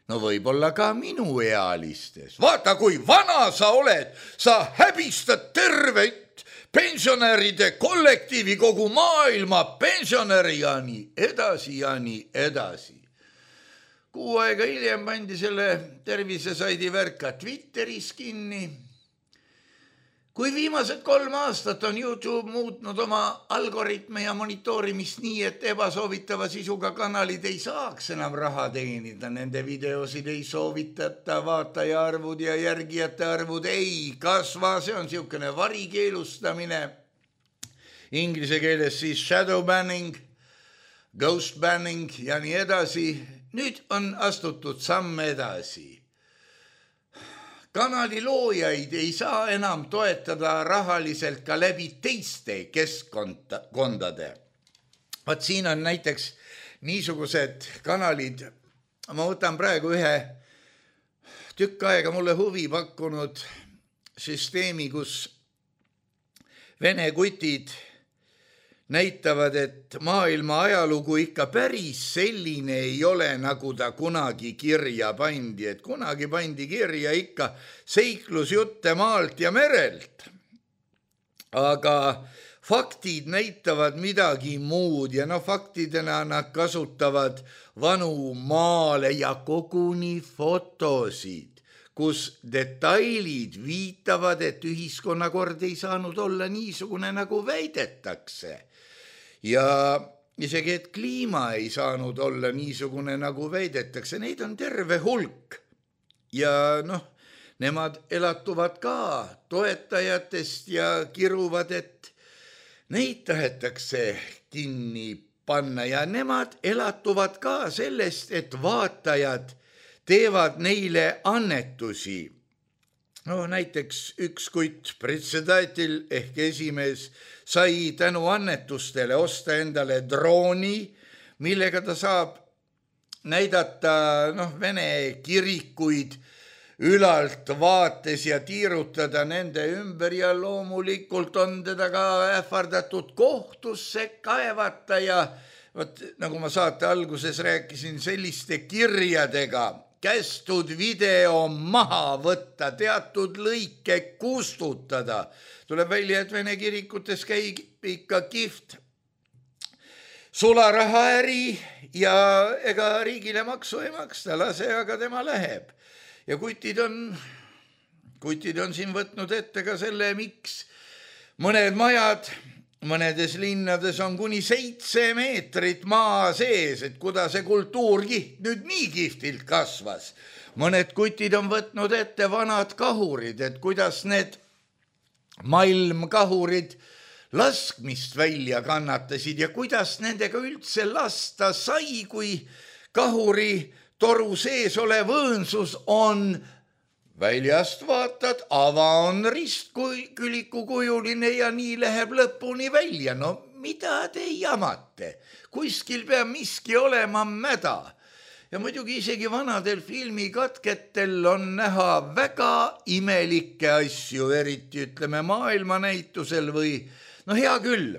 No võib-olla ka minu ealistes. Vaata, kui vana sa oled, sa häbistad tervet pensionäride kollektiivi, kogu maailma pensionäri ja nii edasi ja nii edasi. Kuu aega hiljem pandi selle tervisesaidi värka Twitteris kinni. kui viimased kolm aastat on YouTube muutnud oma algoritme ja monitoorimist nii, et ebasoovitava sisuga kanalid ei saaks enam raha teenida, nende videosid ei soovitata, vaataja arvud ja järgijate arvud ei kasva, see on siukene varikeelustamine. Inglise keeles siis shadow banning, ghost banning ja nii edasi. Nüüd on astutud samm edasi. Kanali loojaid ei saa enam toetada rahaliselt ka läbi teiste keskkondade. Vaat siin on näiteks niisugused kanalid, ma võtan praegu ühe tükk aega mulle huvi pakkunud süsteemi, kus vene kutid näitavad, et maailma ajalugu ikka päris selline ei ole, nagu ta kunagi kirja pandi, et kunagi pandi kirja ikka seiklusjutte maalt ja merelt. Aga faktid näitavad midagi muud ja no faktidena nad kasutavad vanu maale ja koguni fotosid, kus detailid viitavad, et ühiskonnakord ei saanud olla niisugune, nagu väidetakse. Ja isegi, et kliima ei saanud olla niisugune, nagu väidetakse, neid on terve hulk. Ja noh, nemad elatuvad ka toetajatest ja kiruvad, et neid tahetakse kinni panna ja nemad elatuvad ka sellest, et vaatajad teevad neile annetusi. No näiteks üks kutt Pretsedatil ehk esimees sai tänu annetustele osta endale drooni, millega ta saab näidata noh, vene kirikuid ülalt vaates ja tiirutada nende ümber ja loomulikult on teda ka ähvardatud kohtusse kaevata ja võt, nagu ma saate alguses rääkisin, selliste kirjadega kästud video maha võtta, teatud lõike kustutada. Tuleb välja, et vene kirikutes käib ikka kihvt sularahaäri ja ega riigile maksu ei maksta, lase, aga tema läheb. Ja kutid on, kutid on siin võtnud ette ka selle, miks mõned majad mõnedes linnades on kuni seitse meetrit maa sees, et kuda see kultuurkiht nüüd nii kihvtilt kasvas. Mõned kutid on võtnud ette vanad kahurid, et kuidas need maailmkahurid laskmist välja kannatasid ja kuidas nendega üldse lasta sai, kui kahuri toru sees olev õõnsus on väljast vaatad, ava on ristküliku kujuline ja nii läheb lõpuni välja. No mida te jamate? Kuskil peab miski olema mäda. Ja muidugi isegi vanadel filmikatketel on näha väga imelikke asju, eriti ütleme maailmanäitusel või no hea küll.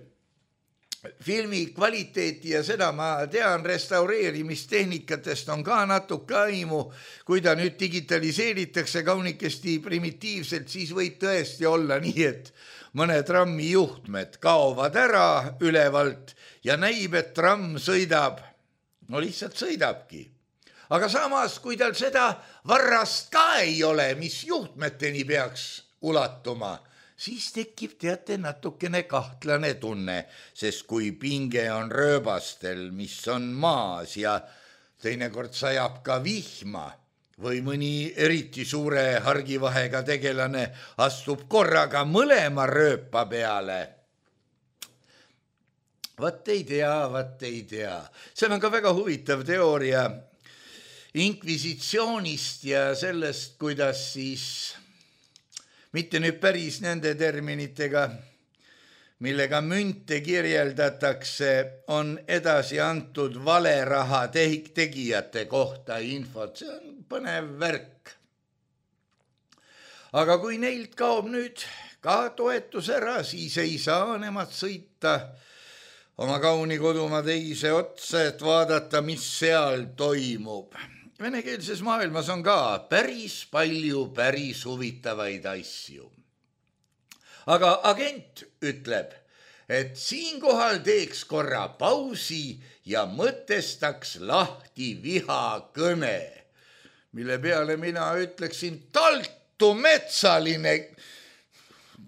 Filmi kvaliteeti ja seda ma tean, restaureerimistehnikatest on ka natuke aimu, kui ta nüüd digitaliseeritakse kaunikesti primitiivselt, siis võib tõesti olla nii, et mõne trammi juhtmed kaovad ära ülevalt ja näib, et tramm sõidab, no lihtsalt sõidabki. Aga samas, kui tal seda varrast ka ei ole, mis juhtmeteni peaks ulatuma, siis tekib teate natukene kahtlane tunne, sest kui pinge on rööbastel, mis on maas ja teinekord sajab ka vihma või mõni eriti suure hargivahega tegelane astub korraga mõlema rööpa peale. Vat ei tea, vat ei tea. See on ka väga huvitav teooria inkvisitsioonist ja sellest, kuidas siis mitte nüüd päris nende terminitega, millega münte kirjeldatakse, on edasi antud valeraha tegijate kohta infot. See on põnev värk. Aga kui neilt kaob nüüd ka toetus ära, siis ei saa nemad sõita oma kauni kodumaa teise otsa, et vaadata, mis seal toimub. Venekeelses maailmas on ka päris palju päris huvitavaid asju. Aga agent ütleb, et siinkohal teeks korra pausi ja mõtestaks lahti vihakõne, mille peale mina ütleksin taltu metsaline.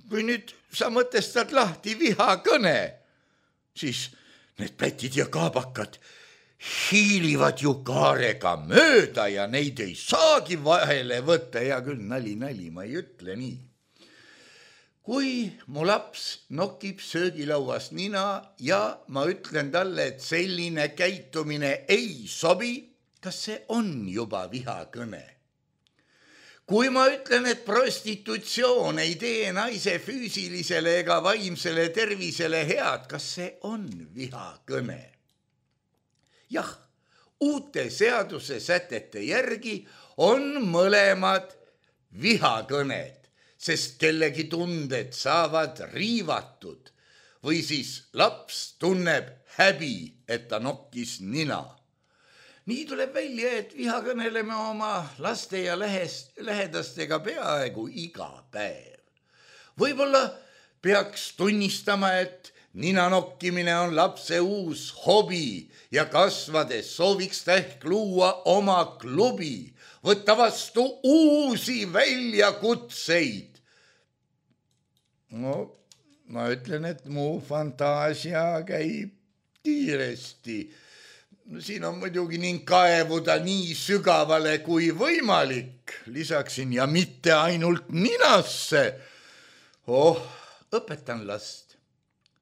kui nüüd sa mõtestad lahti vihakõne, siis need pätid ja kaabakad hiilivad ju kaarega mööda ja neid ei saagi vahele võtta. Hea küll, nali, nali, ma ei ütle nii. Kui mu laps nokib söögilauas nina ja ma ütlen talle, et selline käitumine ei sobi, kas see on juba vihakõne? Kui ma ütlen, et prostitutsioon ei tee naise füüsilisele ega vaimsele tervisele head, kas see on vihakõne? Jah, uute seaduse sätete järgi on mõlemad vihakõned, sest kellegi tunded saavad riivatud või siis laps tunneb häbi, et ta nokkis nina. Nii tuleb välja, et vihakõnele me oma laste ja lehest, lähedastega peaaegu iga päev. Võib-olla peaks tunnistama, et nina nokkimine on lapse uus hobi ja kasvades sooviks ta ehk luua oma klubi, võtta vastu uusi väljakutseid. No, ma ütlen, et mu fantaasia käib kiiresti. Siin on muidugi ning kaevuda nii sügavale kui võimalik. Lisaksin ja mitte ainult ninasse. Oh, õpetan last,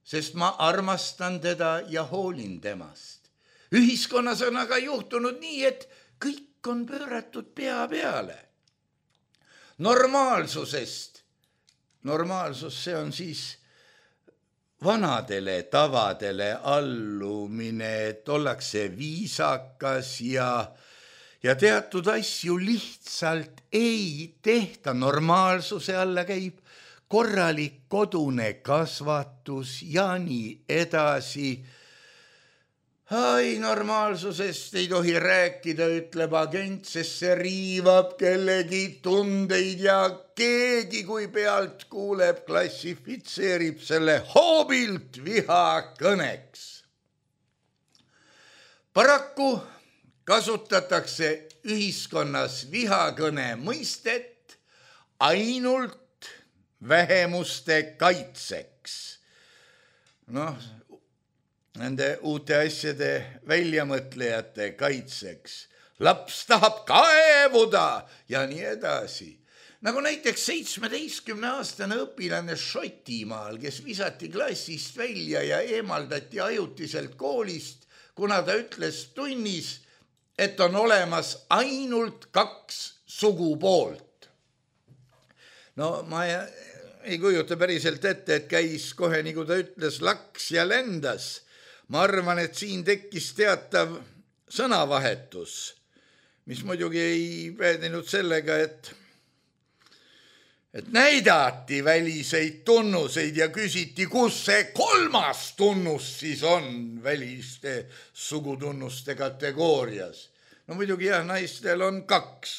sest ma armastan teda ja hoolin temast. Ühiskonnas on aga juhtunud nii, et kõik on pööratud pea peale. Normaalsusest. Normaalsus, see on siis vanadele tavadele allumine, et ollakse viisakas ja, ja teatud asju lihtsalt ei tehta. Normaalsuse alla käib korralik kodune kasvatus ja nii edasi. Ai, normaalsusest ei tohi rääkida, ütleb agent, sest see riivab kellegi tundeid ja keegi, kui pealt kuuleb, klassifitseerib selle hoobilt vihakõneks. Paraku kasutatakse ühiskonnas vihakõne mõistet ainult vähemuste kaitseks. Noh, nende uute asjade väljamõtlejate kaitseks. Laps tahab kaevuda ja nii edasi. Nagu näiteks seitsmeteistkümneaastane õpilane Šotimaal, kes visati klassist välja ja eemaldati ajutiselt koolist, kuna ta ütles tunnis, et on olemas ainult kaks sugupoolt. No ma ei, ei kujuta päriselt ette, et käis kohe, nagu ta ütles, laks ja lendas. Ma arvan, et siin tekkis teatav sõnavahetus, mis muidugi ei päädinud sellega, et, et näidati väliseid tunnuseid ja küsiti, kus see kolmas tunnus siis on väliste sugutunnuste kategoorias. No muidugi jah, naistel on kaks,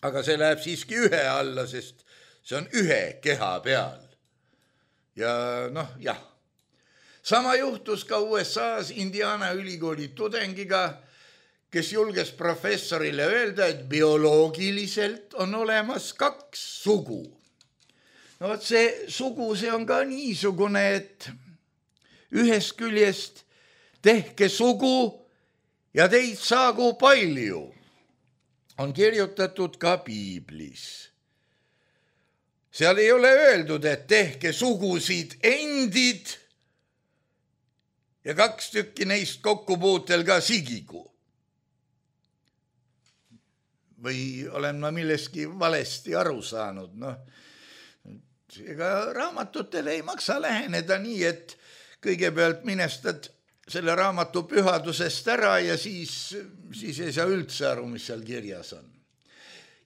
aga see läheb siiski ühe alla, sest see on ühe keha peal. Ja noh, jah. Sama juhtus ka U S A-s Indiana ülikooli tudengiga, kes julges professorile öelda, et bioloogiliselt on olemas kaks sugu. No võt see sugu, see on ka niisugune, et ühest küljest tehke sugu ja teid saagu palju. On kirjutatud ka piiblis. Seal ei ole öeldud, et tehke sugusid endid ja kaks tükki neist kokkupuutel ka sigigu. Või olen ma milleski valesti aru saanud. No, ega raamatutele ei maksa läheneda nii, et kõigepealt minestad selle raamatu pühadusest ära ja siis, siis ei saa üldse aru, mis seal kirjas on.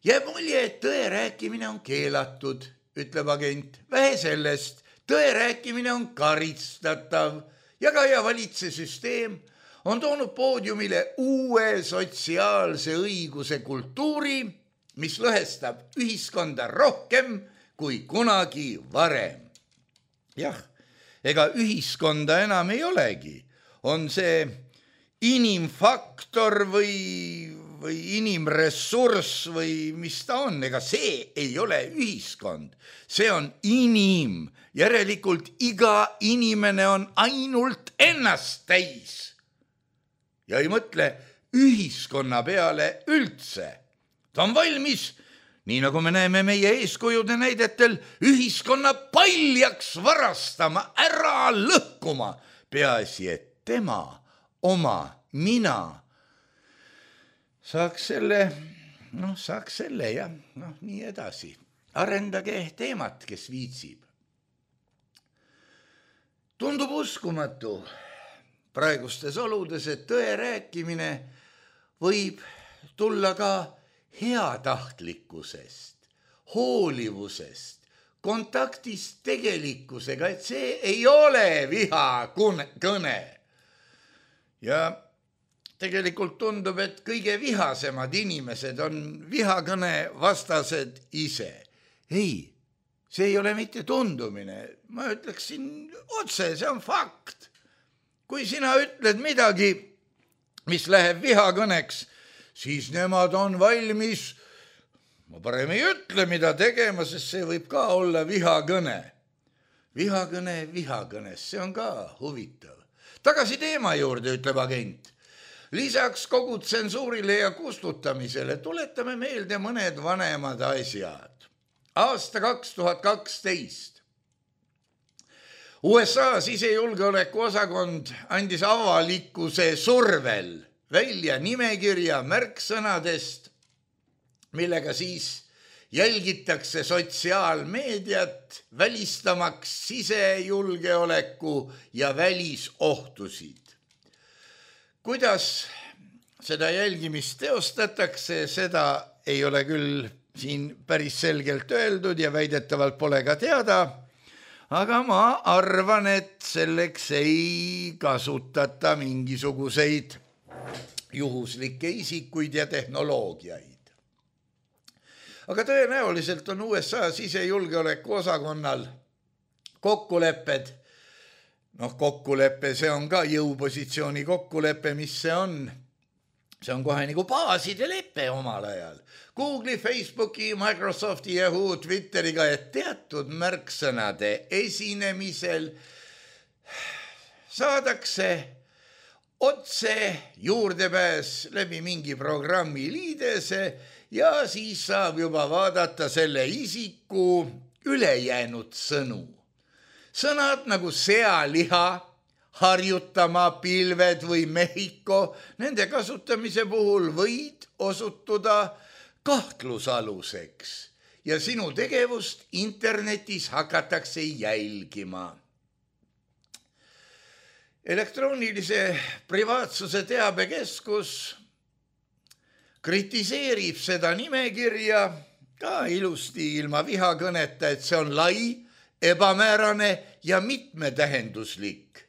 Jääb mulje, et tõe rääkimine on keelatud, ütleb agent. Vähe sellest, tõe rääkimine on karistatav. Jagaja valitsesüsteem on toonud poodiumile uue sotsiaalse õiguse kultuuri, mis lõhestab ühiskonda rohkem kui kunagi varem. Jah, ega ühiskonda enam ei olegi. On see inimfaktor või, või inimressurss või mis ta on, ega see ei ole ühiskond, see on inim, järelikult iga inimene on ainult ennast täis ja ei mõtle ühiskonna peale üldse. Ta on valmis, nii nagu me näeme meie eeskujude näidetel, ühiskonna paljaks varastama, ära lõhkuma, peaasi, et tema, oma, mina saaks selle, noh, saaks selle ja noh, nii edasi. Arendage teemat, kes viitsib. Tundub uskumatu praegustes oludes, et tõe rääkimine võib tulla ka heatahtlikkusest, hoolivusest, kontaktist tegelikkusega, et see ei ole vihakõne. Ja tegelikult tundub, et kõige vihasemad inimesed on vihakõne vastased ise. Ei, see ei ole mitte tundumine. Ma ütleksin otse, see on fakt. Kui sina ütled midagi, mis läheb vihakõneks, siis nemad on valmis, ma parem ei ütle, mida tegema, sest see võib ka olla vihakõne. Vihakõne vihakõnes, see on ka huvitav. Tagasi teema juurde, ütleb agent. Lisaks kogu tsensuurile ja kustutamisele tuletame meelde mõned vanemad asjad. Aasta kaks tuhat kaksteist. U S A sisejulgeoleku osakond andis avalikkuse survel välja nimekirja märksõnadest, millega siis jälgitakse sotsiaalmeediat, välistamaks sisejulgeoleku ja välisohtusid. Kuidas seda jälgimist teostatakse, seda ei ole küll siin päris selgelt öeldud ja väidetavalt pole ka teada, aga ma arvan, et selleks ei kasutata mingisuguseid juhuslikke isikuid ja tehnoloogiaid. Aga tõenäoliselt on U S A sisejulgeoleku osakonnal kokkulepped. Noh, kokkulepe, see on ka jõupositsiooni kokkulepe, mis see on? See on kohe nagu baaside leppe omal ajal. Google'i, Facebooki, Microsofti, Yahoo, Twitteriga, et teatud märksõnade esinemisel saadakse otse juurdepääs läbi mingi programmi liidese ja siis saab juba vaadata selle isiku ülejäänud sõnu. Sõnad nagu sealiha, harjutama, pilved või Mehhiko, nende kasutamise puhul võid osutuda kahtlusaluseks ja sinu tegevust internetis hakatakse jälgima. Elektroonilise privaatsuse teabekeskus kritiseerib seda nimekirja ka ilusti ilma vihakõneta, et see on lai, ebamäärane ja mitmetähenduslik,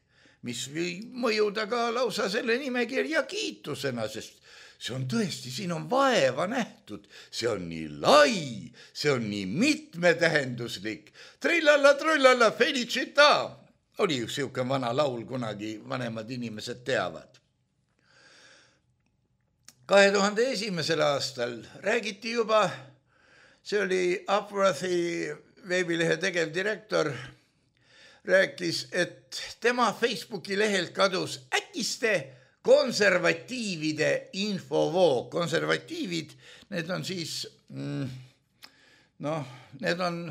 mis võib mõjuda ka lausa selle nimekirja kiitusena, sest see on tõesti, siin on vaeva nähtud, see on nii lai, see on nii mitmetähenduslik. Trillalla, trullalla, felicita, oli üks siuke vana laul, kunagi vanemad inimesed teavad. kahe tuhande esimesel aastal räägiti juba, see oli Upworthi veebilehe tegevdirektor, rääkis, et tema Facebooki lehelt kadus äkiste konservatiivide infovoog. Konservatiivid, need on siis, noh, need on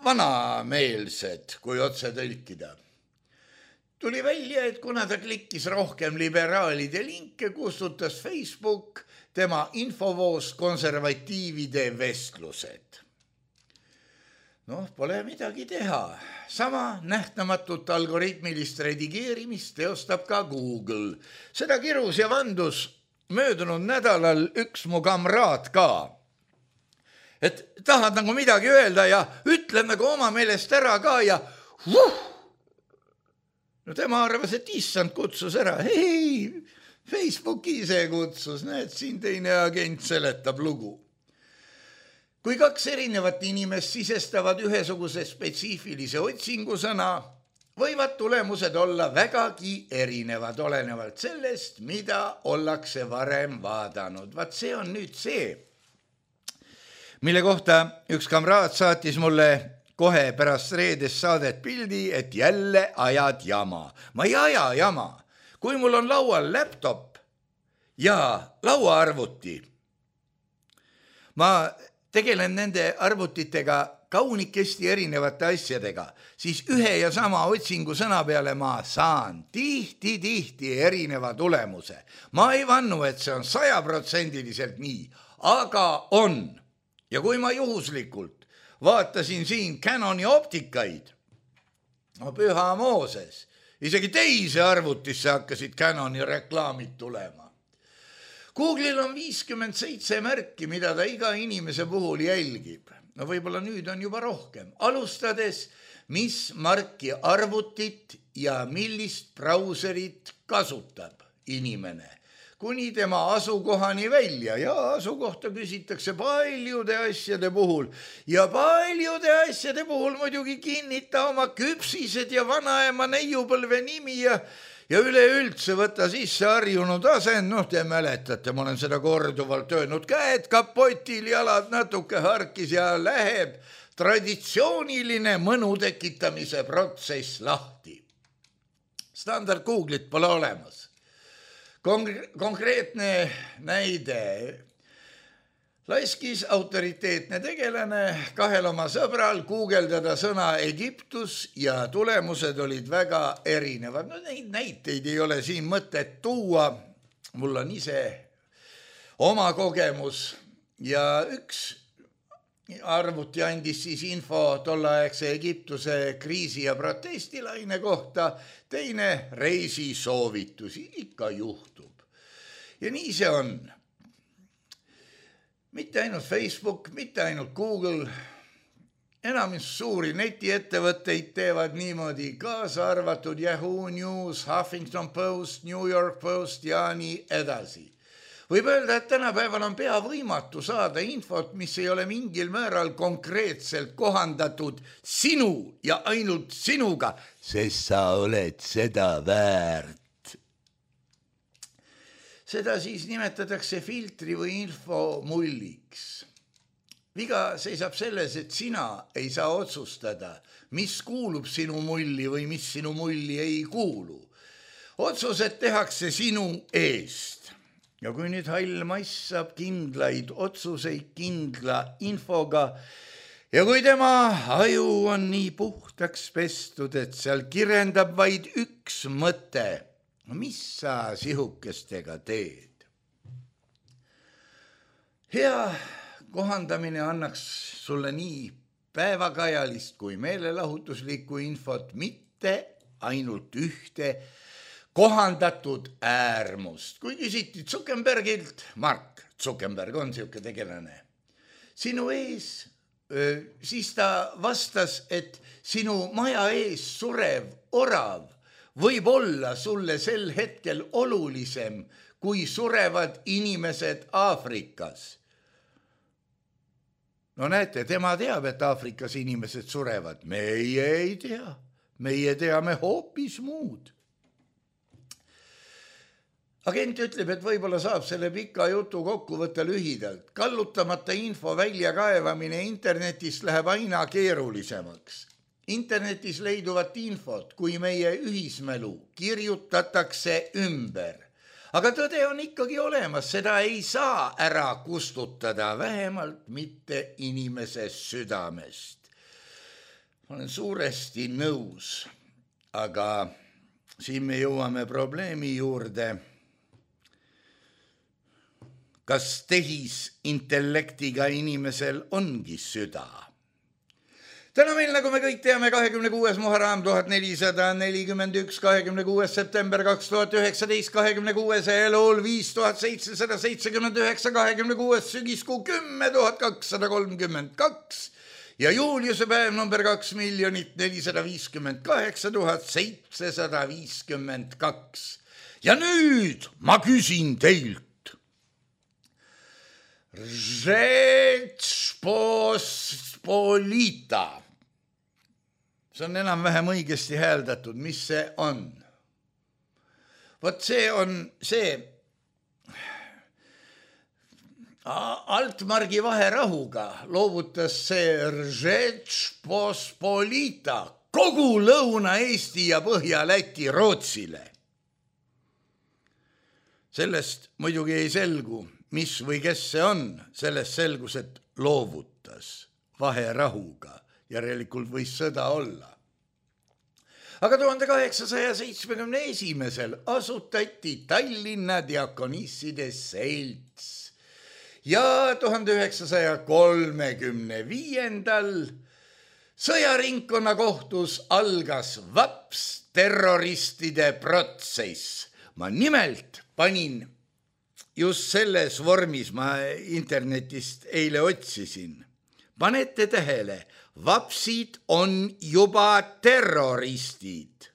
vanameelsed, kui otse tõlkida. Tuli välja, et kuna ta klikkis rohkem liberaalide linke, kustutas Facebook tema infovoos konservatiivide vestlused. Noh, pole midagi teha. Sama nähtamatut algoritmilist redigeerimist teostab ka Google. Seda kirus ja vandus möödunud nädalal üks mu kamraad ka. Et tahad nagu midagi öelda ja ütled nagu oma meelest ära ka ja vuh! No tema arvas, et issand kutsus ära. Hei, Facebooki ise kutsus, näed, siin teine agent seletab lugu. Kui kaks erinevat inimest sisestavad ühesuguse spetsiifilise otsingusõna, võivad tulemused olla vägagi erinevad, olenevalt sellest, mida ollakse varem vaadanud. Vaat see on nüüd see, mille kohta üks kamraad saatis mulle kohe pärast reedest saadet pildi, et jälle ajad jama. Ma ei aja jama. Kui mul on laual laptop ja lauaarvuti, ma tegelen nende arvutitega kaunikesti erinevate asjadega, siis ühe ja sama otsingu sõna peale ma saan tihti-tihti erineva tulemuse. Ma ei vannu, et see on sajaprotsendiliselt nii, aga on. Ja kui ma juhuslikult vaatasin siin Canoni optikaid, no püha Mooses, isegi teise arvutisse hakkasid Canoni reklaamid tulema. Google'il on viiskümmend seitse märki, mida ta iga inimese puhul jälgib. No võib-olla nüüd on juba rohkem. Alustades, mis marki arvutit ja millist brauserit kasutab inimene. Kuni tema asukohani välja ja asukohta küsitakse paljude asjade puhul. Ja paljude asjade puhul muidugi kinnita oma küpsised ja vanaema neiupõlve nimi ja Ja üleüldse võtta sisse harjunud asend, noh te mäletate, ma olen seda korduvalt öelnud, käed kapotil, jalad natuke harkis ja läheb traditsiooniline mõnu tekitamise protsess lahti. Standard Google'it pole olemas. Kongre- konkreetne näide. Laiskis autoriteetne tegelane kahel oma sõbral guugeldada sõna Egiptus ja tulemused olid väga erinevad. No neid näiteid ei ole siin mõtet tuua. Mul on ise oma kogemus ja üks arvuti andis siis info tollaegse Egiptuse kriisi ja protestilaine kohta, teine reisisoovitusi, ikka juhtub. Ja nii see on. Mitte ainult Facebook, mitte ainult Google, enamus suuri netiettevõtteid teevad niimoodi, kaasa arvatud Yahoo News, Huffington Post, New York Post ja nii edasi. Võib öelda, et tänapäeval on pea võimatu saada infot, mis ei ole mingil määral konkreetselt kohandatud sinu ja ainult sinuga, sest sa oled seda väärt. Seda siis nimetatakse filtri või info mulliks. Viga seisab selles, et sina ei saa otsustada, mis kuulub sinu mulli või mis sinu mulli ei kuulu. Otsused tehakse sinu eest. Ja kui nüüd hall mass saab kindlaid otsuseid kindla infoga ja kui tema aju on nii puhtaks pestud, et seal kirendab vaid üks mõte, mis sa sihukestega teed? Hea kohandamine annaks sulle nii päevakajalist kui meelelahutuslikku infot, mitte ainult ühte kohandatud äärmust. Kui küsiti Zuckerbergilt, Mark Zuckerberg on siuke tegelane, sinu ees, siis ta vastas, et sinu maja ees surev orav võib olla sulle sel hetkel olulisem, kui surevad inimesed Aafrikas. No näete, tema teab, et Aafrikas inimesed surevad. Meie ei tea. Meie teame hoopis muud. Agent ütleb, et võib-olla saab selle pika jutu kokku võtta lühidalt. Kallutamata info väljakaevamine internetist läheb aina keerulisemaks. Internetis leiduvat infot, kui meie ühismälu kirjutatakse ümber. Aga tõde on ikkagi olemas, seda ei saa ära kustutada, vähemalt mitte inimese südamest. Ma olen suuresti nõus, aga siin me jõuame probleemi juurde. Kas tehisintellektiga inimesel ongi süda? Täna meil, nagu me kõik teame, kahekümne kuues Muharram tuhat nelisada nelikümmend üks, kahekümne kuues september kaks tuhat üheksateist, kahekümne kuues Elul viis tuhat seitsesada seitsekümmend üheksa, kahekümne kuues sügiskuu kümme tuhat kakssada kolmkümmend kaks ja Juliuse päev number kaks miljonit nelisada viiskümmend kaheksa tuhat seitsesada viiskümmend kaks. Ja nüüd ma küsin teilt. Rzeczpospolita. see on enam-vähem õigesti hääldatud, mis see on. Vot see on see Altmargi vaherahuga loovutas see Žečpospolita kogu Lõuna-Eesti ja Põhja-Läti Rootsile. Sellest muidugi ei selgu, mis või kes see on, sellest selgus, et loovutas vaherahuga, järelikult võis sõda olla. Aga tuhande kaheksasaja seitsmekümne esimesel asutati Tallinna diakonisside selts ja tuhande üheksasaja kolmekümne viiendal sõjaringkonna kohtus algas vaps terroristide protsess. Ma nimelt panin just selles vormis, ma internetist eile otsisin. Panete tähele, vapsid on juba terroristid.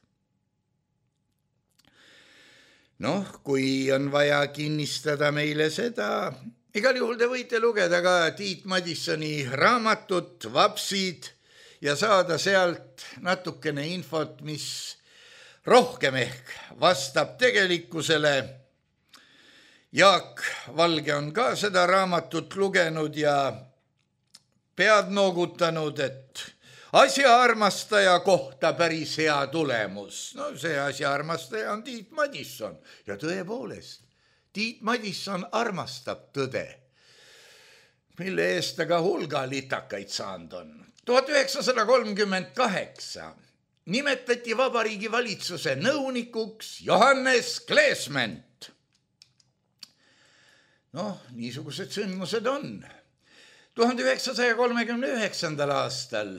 Noh, kui on vaja kinnistada meile seda, igal juhul te võite lugeda ka Tiit Madissoni raamatut Vapsid ja saada sealt natukene infot, mis rohkem ehk vastab tegelikkusele. Jaak Valge on ka seda raamatut lugenud ja pead noogutanud, et asjaarmastaja kohta päris hea tulemus. No see asjaarmastaja on Tiit Madisson ja tõepoolest, Tiit Madisson armastab tõde, mille eest aga hulga litakaid saanud on. tuhat üheksasada kolmkümmend kaheksa nimetati Vabariigi valitsuse nõunikuks Johannes Kleesment. Noh, niisugused sündmused on. tuhande üheksasaja kolmekümne üheksandal aastal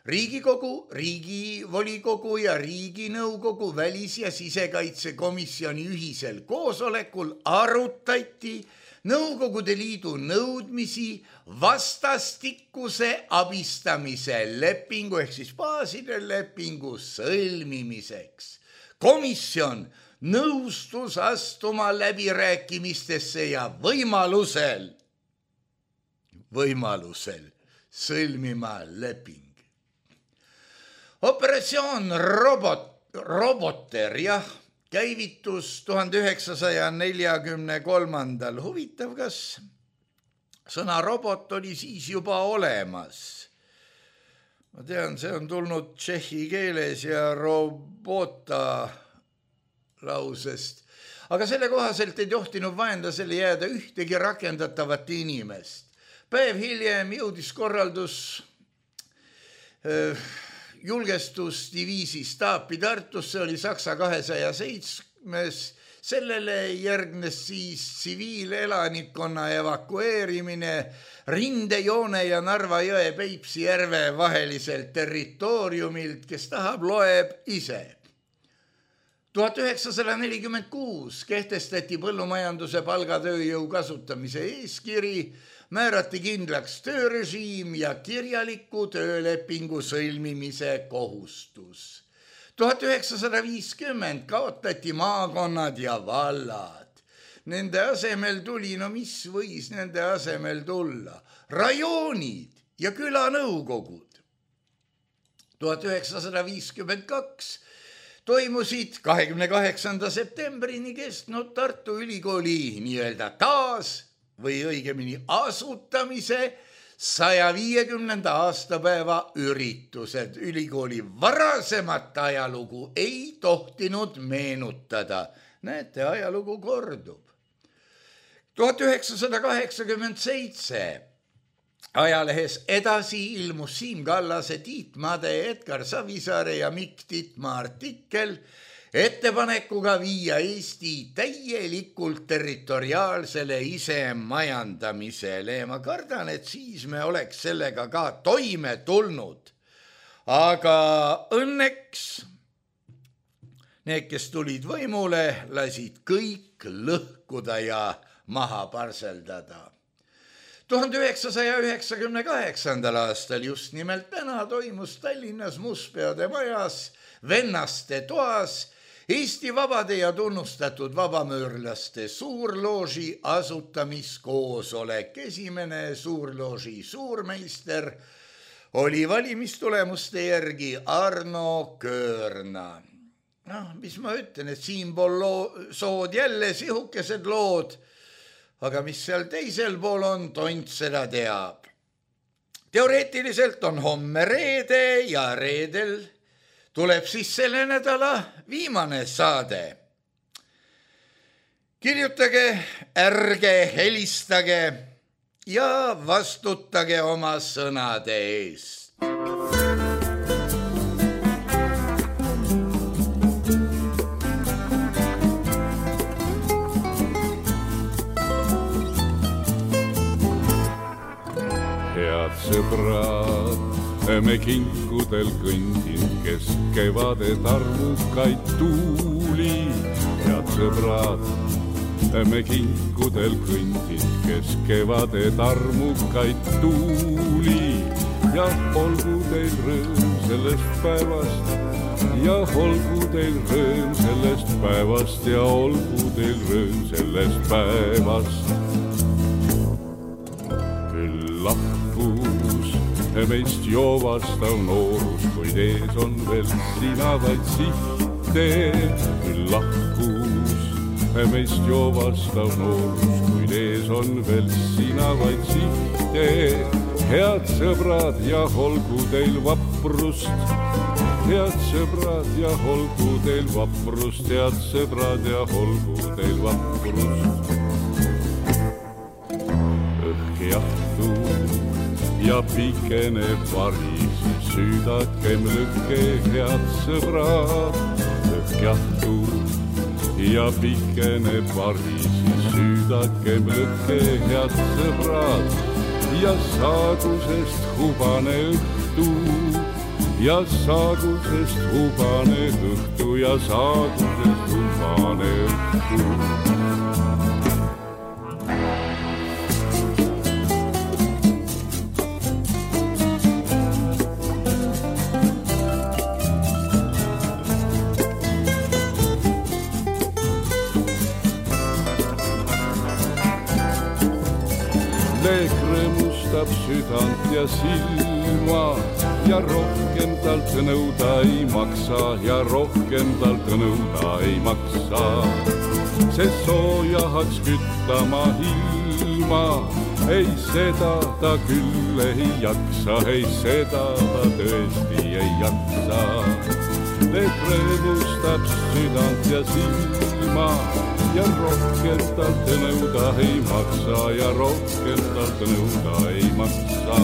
Riigikogu, Riigivolikogu ja Riiginõukogu välis- ja sisekaitsekomisjoni ühisel koosolekul arutati Nõukogude Liidu nõudmisi vastastikuse abistamise lepingu ehk siis baaside lepingu sõlmimiseks. Komisjon nõustus astuma läbirääkimistesse ja võimalusel, võimalusel sõlmima leping. Operatsioon robot, Roboter, jah, käivitus tuhande üheksasaja neljakümne kolmandal. Huvitav, kas sõna robot oli siis juba olemas? Ma tean, see on tulnud tšehhi keeles ja robota lausest. Aga selle kohaselt ei tohtinud vaenlasele jääda ühtegi rakendatavat inimest. Päev hiljem jõudis korraldus öö, julgestusdiviisi staapi Tartus, see oli Saksa kahesaja seitsmes, sellele järgnes siis tsiviilelanikkonna evakueerimine Rindejoone ja Narva jõe Peipsi järve vaheliselt territooriumilt, kes tahab, loeb ise. tuhat üheksasada nelikümmend kuus kehtestati põllumajanduse palgatööjõu kasutamise eeskiri, määrati kindlaks töörežiim ja kirjaliku töölepingu sõlmimise kohustus. tuhat üheksasada viiskümmend kaotati maakonnad ja vallad. Nende asemel tuli, no mis võis nende asemel tulla? Rajoonid ja külanõukogud. tuhat üheksasada viiskümmend kaks toimusid kahekümne kaheksanda septembrini kestnud Tartu Ülikooli nii-öelda taas või õigemini asutamise saja viiekümnenda aastapäeva üritused. Ülikooli varasemat ajalugu ei tohtinud meenutada. Näete, ajalugu kordub. tuhat üheksasada kaheksakümmend seitse ajalehes Edasi ilmus Siim Kallase, Tiit Made, Edgar Savisaare ja Mikk Titma artikkel ettepanekuga viia Eesti täielikult territoriaalsele isemajandamisele. Ma kardan, et siis me oleks sellega ka toime tulnud. Aga õnneks need, kes tulid võimule, lasid kõik lõhkuda ja maha parseldada. tuhande üheksasaja üheksakümne kaheksandal aastal just nimelt täna toimus Tallinnas Mustpeade majas Vennaste toas Eesti vabade ja tunnustatud vabamöörlaste suurlooži asutamiskoosolek. Esimene suurlooži suurmeister oli valimistulemuste järgi Arno Köörna. Noh, mis ma ütlen, et siinpool loo, sood jälle sihukesed lood, aga mis seal teisel pool on, tont seda teab. Teoreetiliselt on homme reede ja reedel tuleb siis selle nädala viimane saade. Kirjutage, ärge helistage ja vastutage oma sõnade eest. Head sõbrad, me kinkudel kõndin, kes kevade tarmukaid tuuli. Head sõbrad, me kinkudel kõndin, kes kevade tarmukaid tuuli. Ja olgu teil rõõm sellest päevast, ja olgu teil rõõm sellest päevast, ja olgu teil rõõm sellest päevast. Küll lahkus meist joovastav noorus, kuid ees on veel sina vaid sihte. Küll lahkus meist joovastav noorus, kuid ees on veel sina vaid sihte. Head sõbrad ja olgu teil vaprust, head sõbrad ja olgu teil vaprust, head sõbrad ja olgu teil vaprust. Õhk jahtub ja pikeneb varis, süüdakem lõkke, head sõbrad. Õhk jahtub ja pikeneb varis, süüdakem lõkke, head sõbrad. Ja saagusest hubane õhtu, ja saagusest hubane õhtu, ja saagusest hubane õhtu. Südant ja silma ja rohkem talt nõuda ei maksa, ja rohkem talt nõuda ei maksa. See soojahaks küttama ilma, ei seda ta küll ei jaksa, ei seda ta tõesti ei jaksa. Need rõõmustab südant ja silma, ja rohkem talt nõuda ei maksa, ja rohkem talt nõuda ei maksa.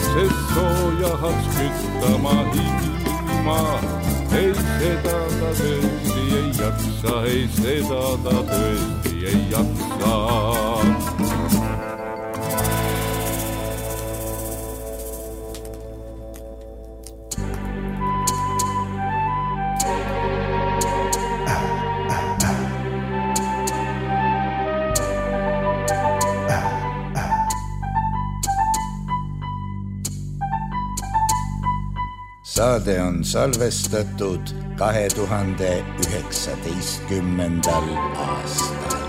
See soojahaks küttama ilma, ei seda ta tõesti ei jaksa, ei seda ta tõesti ei jaksa. Saade on salvestatud kahe tuhande üheksateistkümnendal aastal.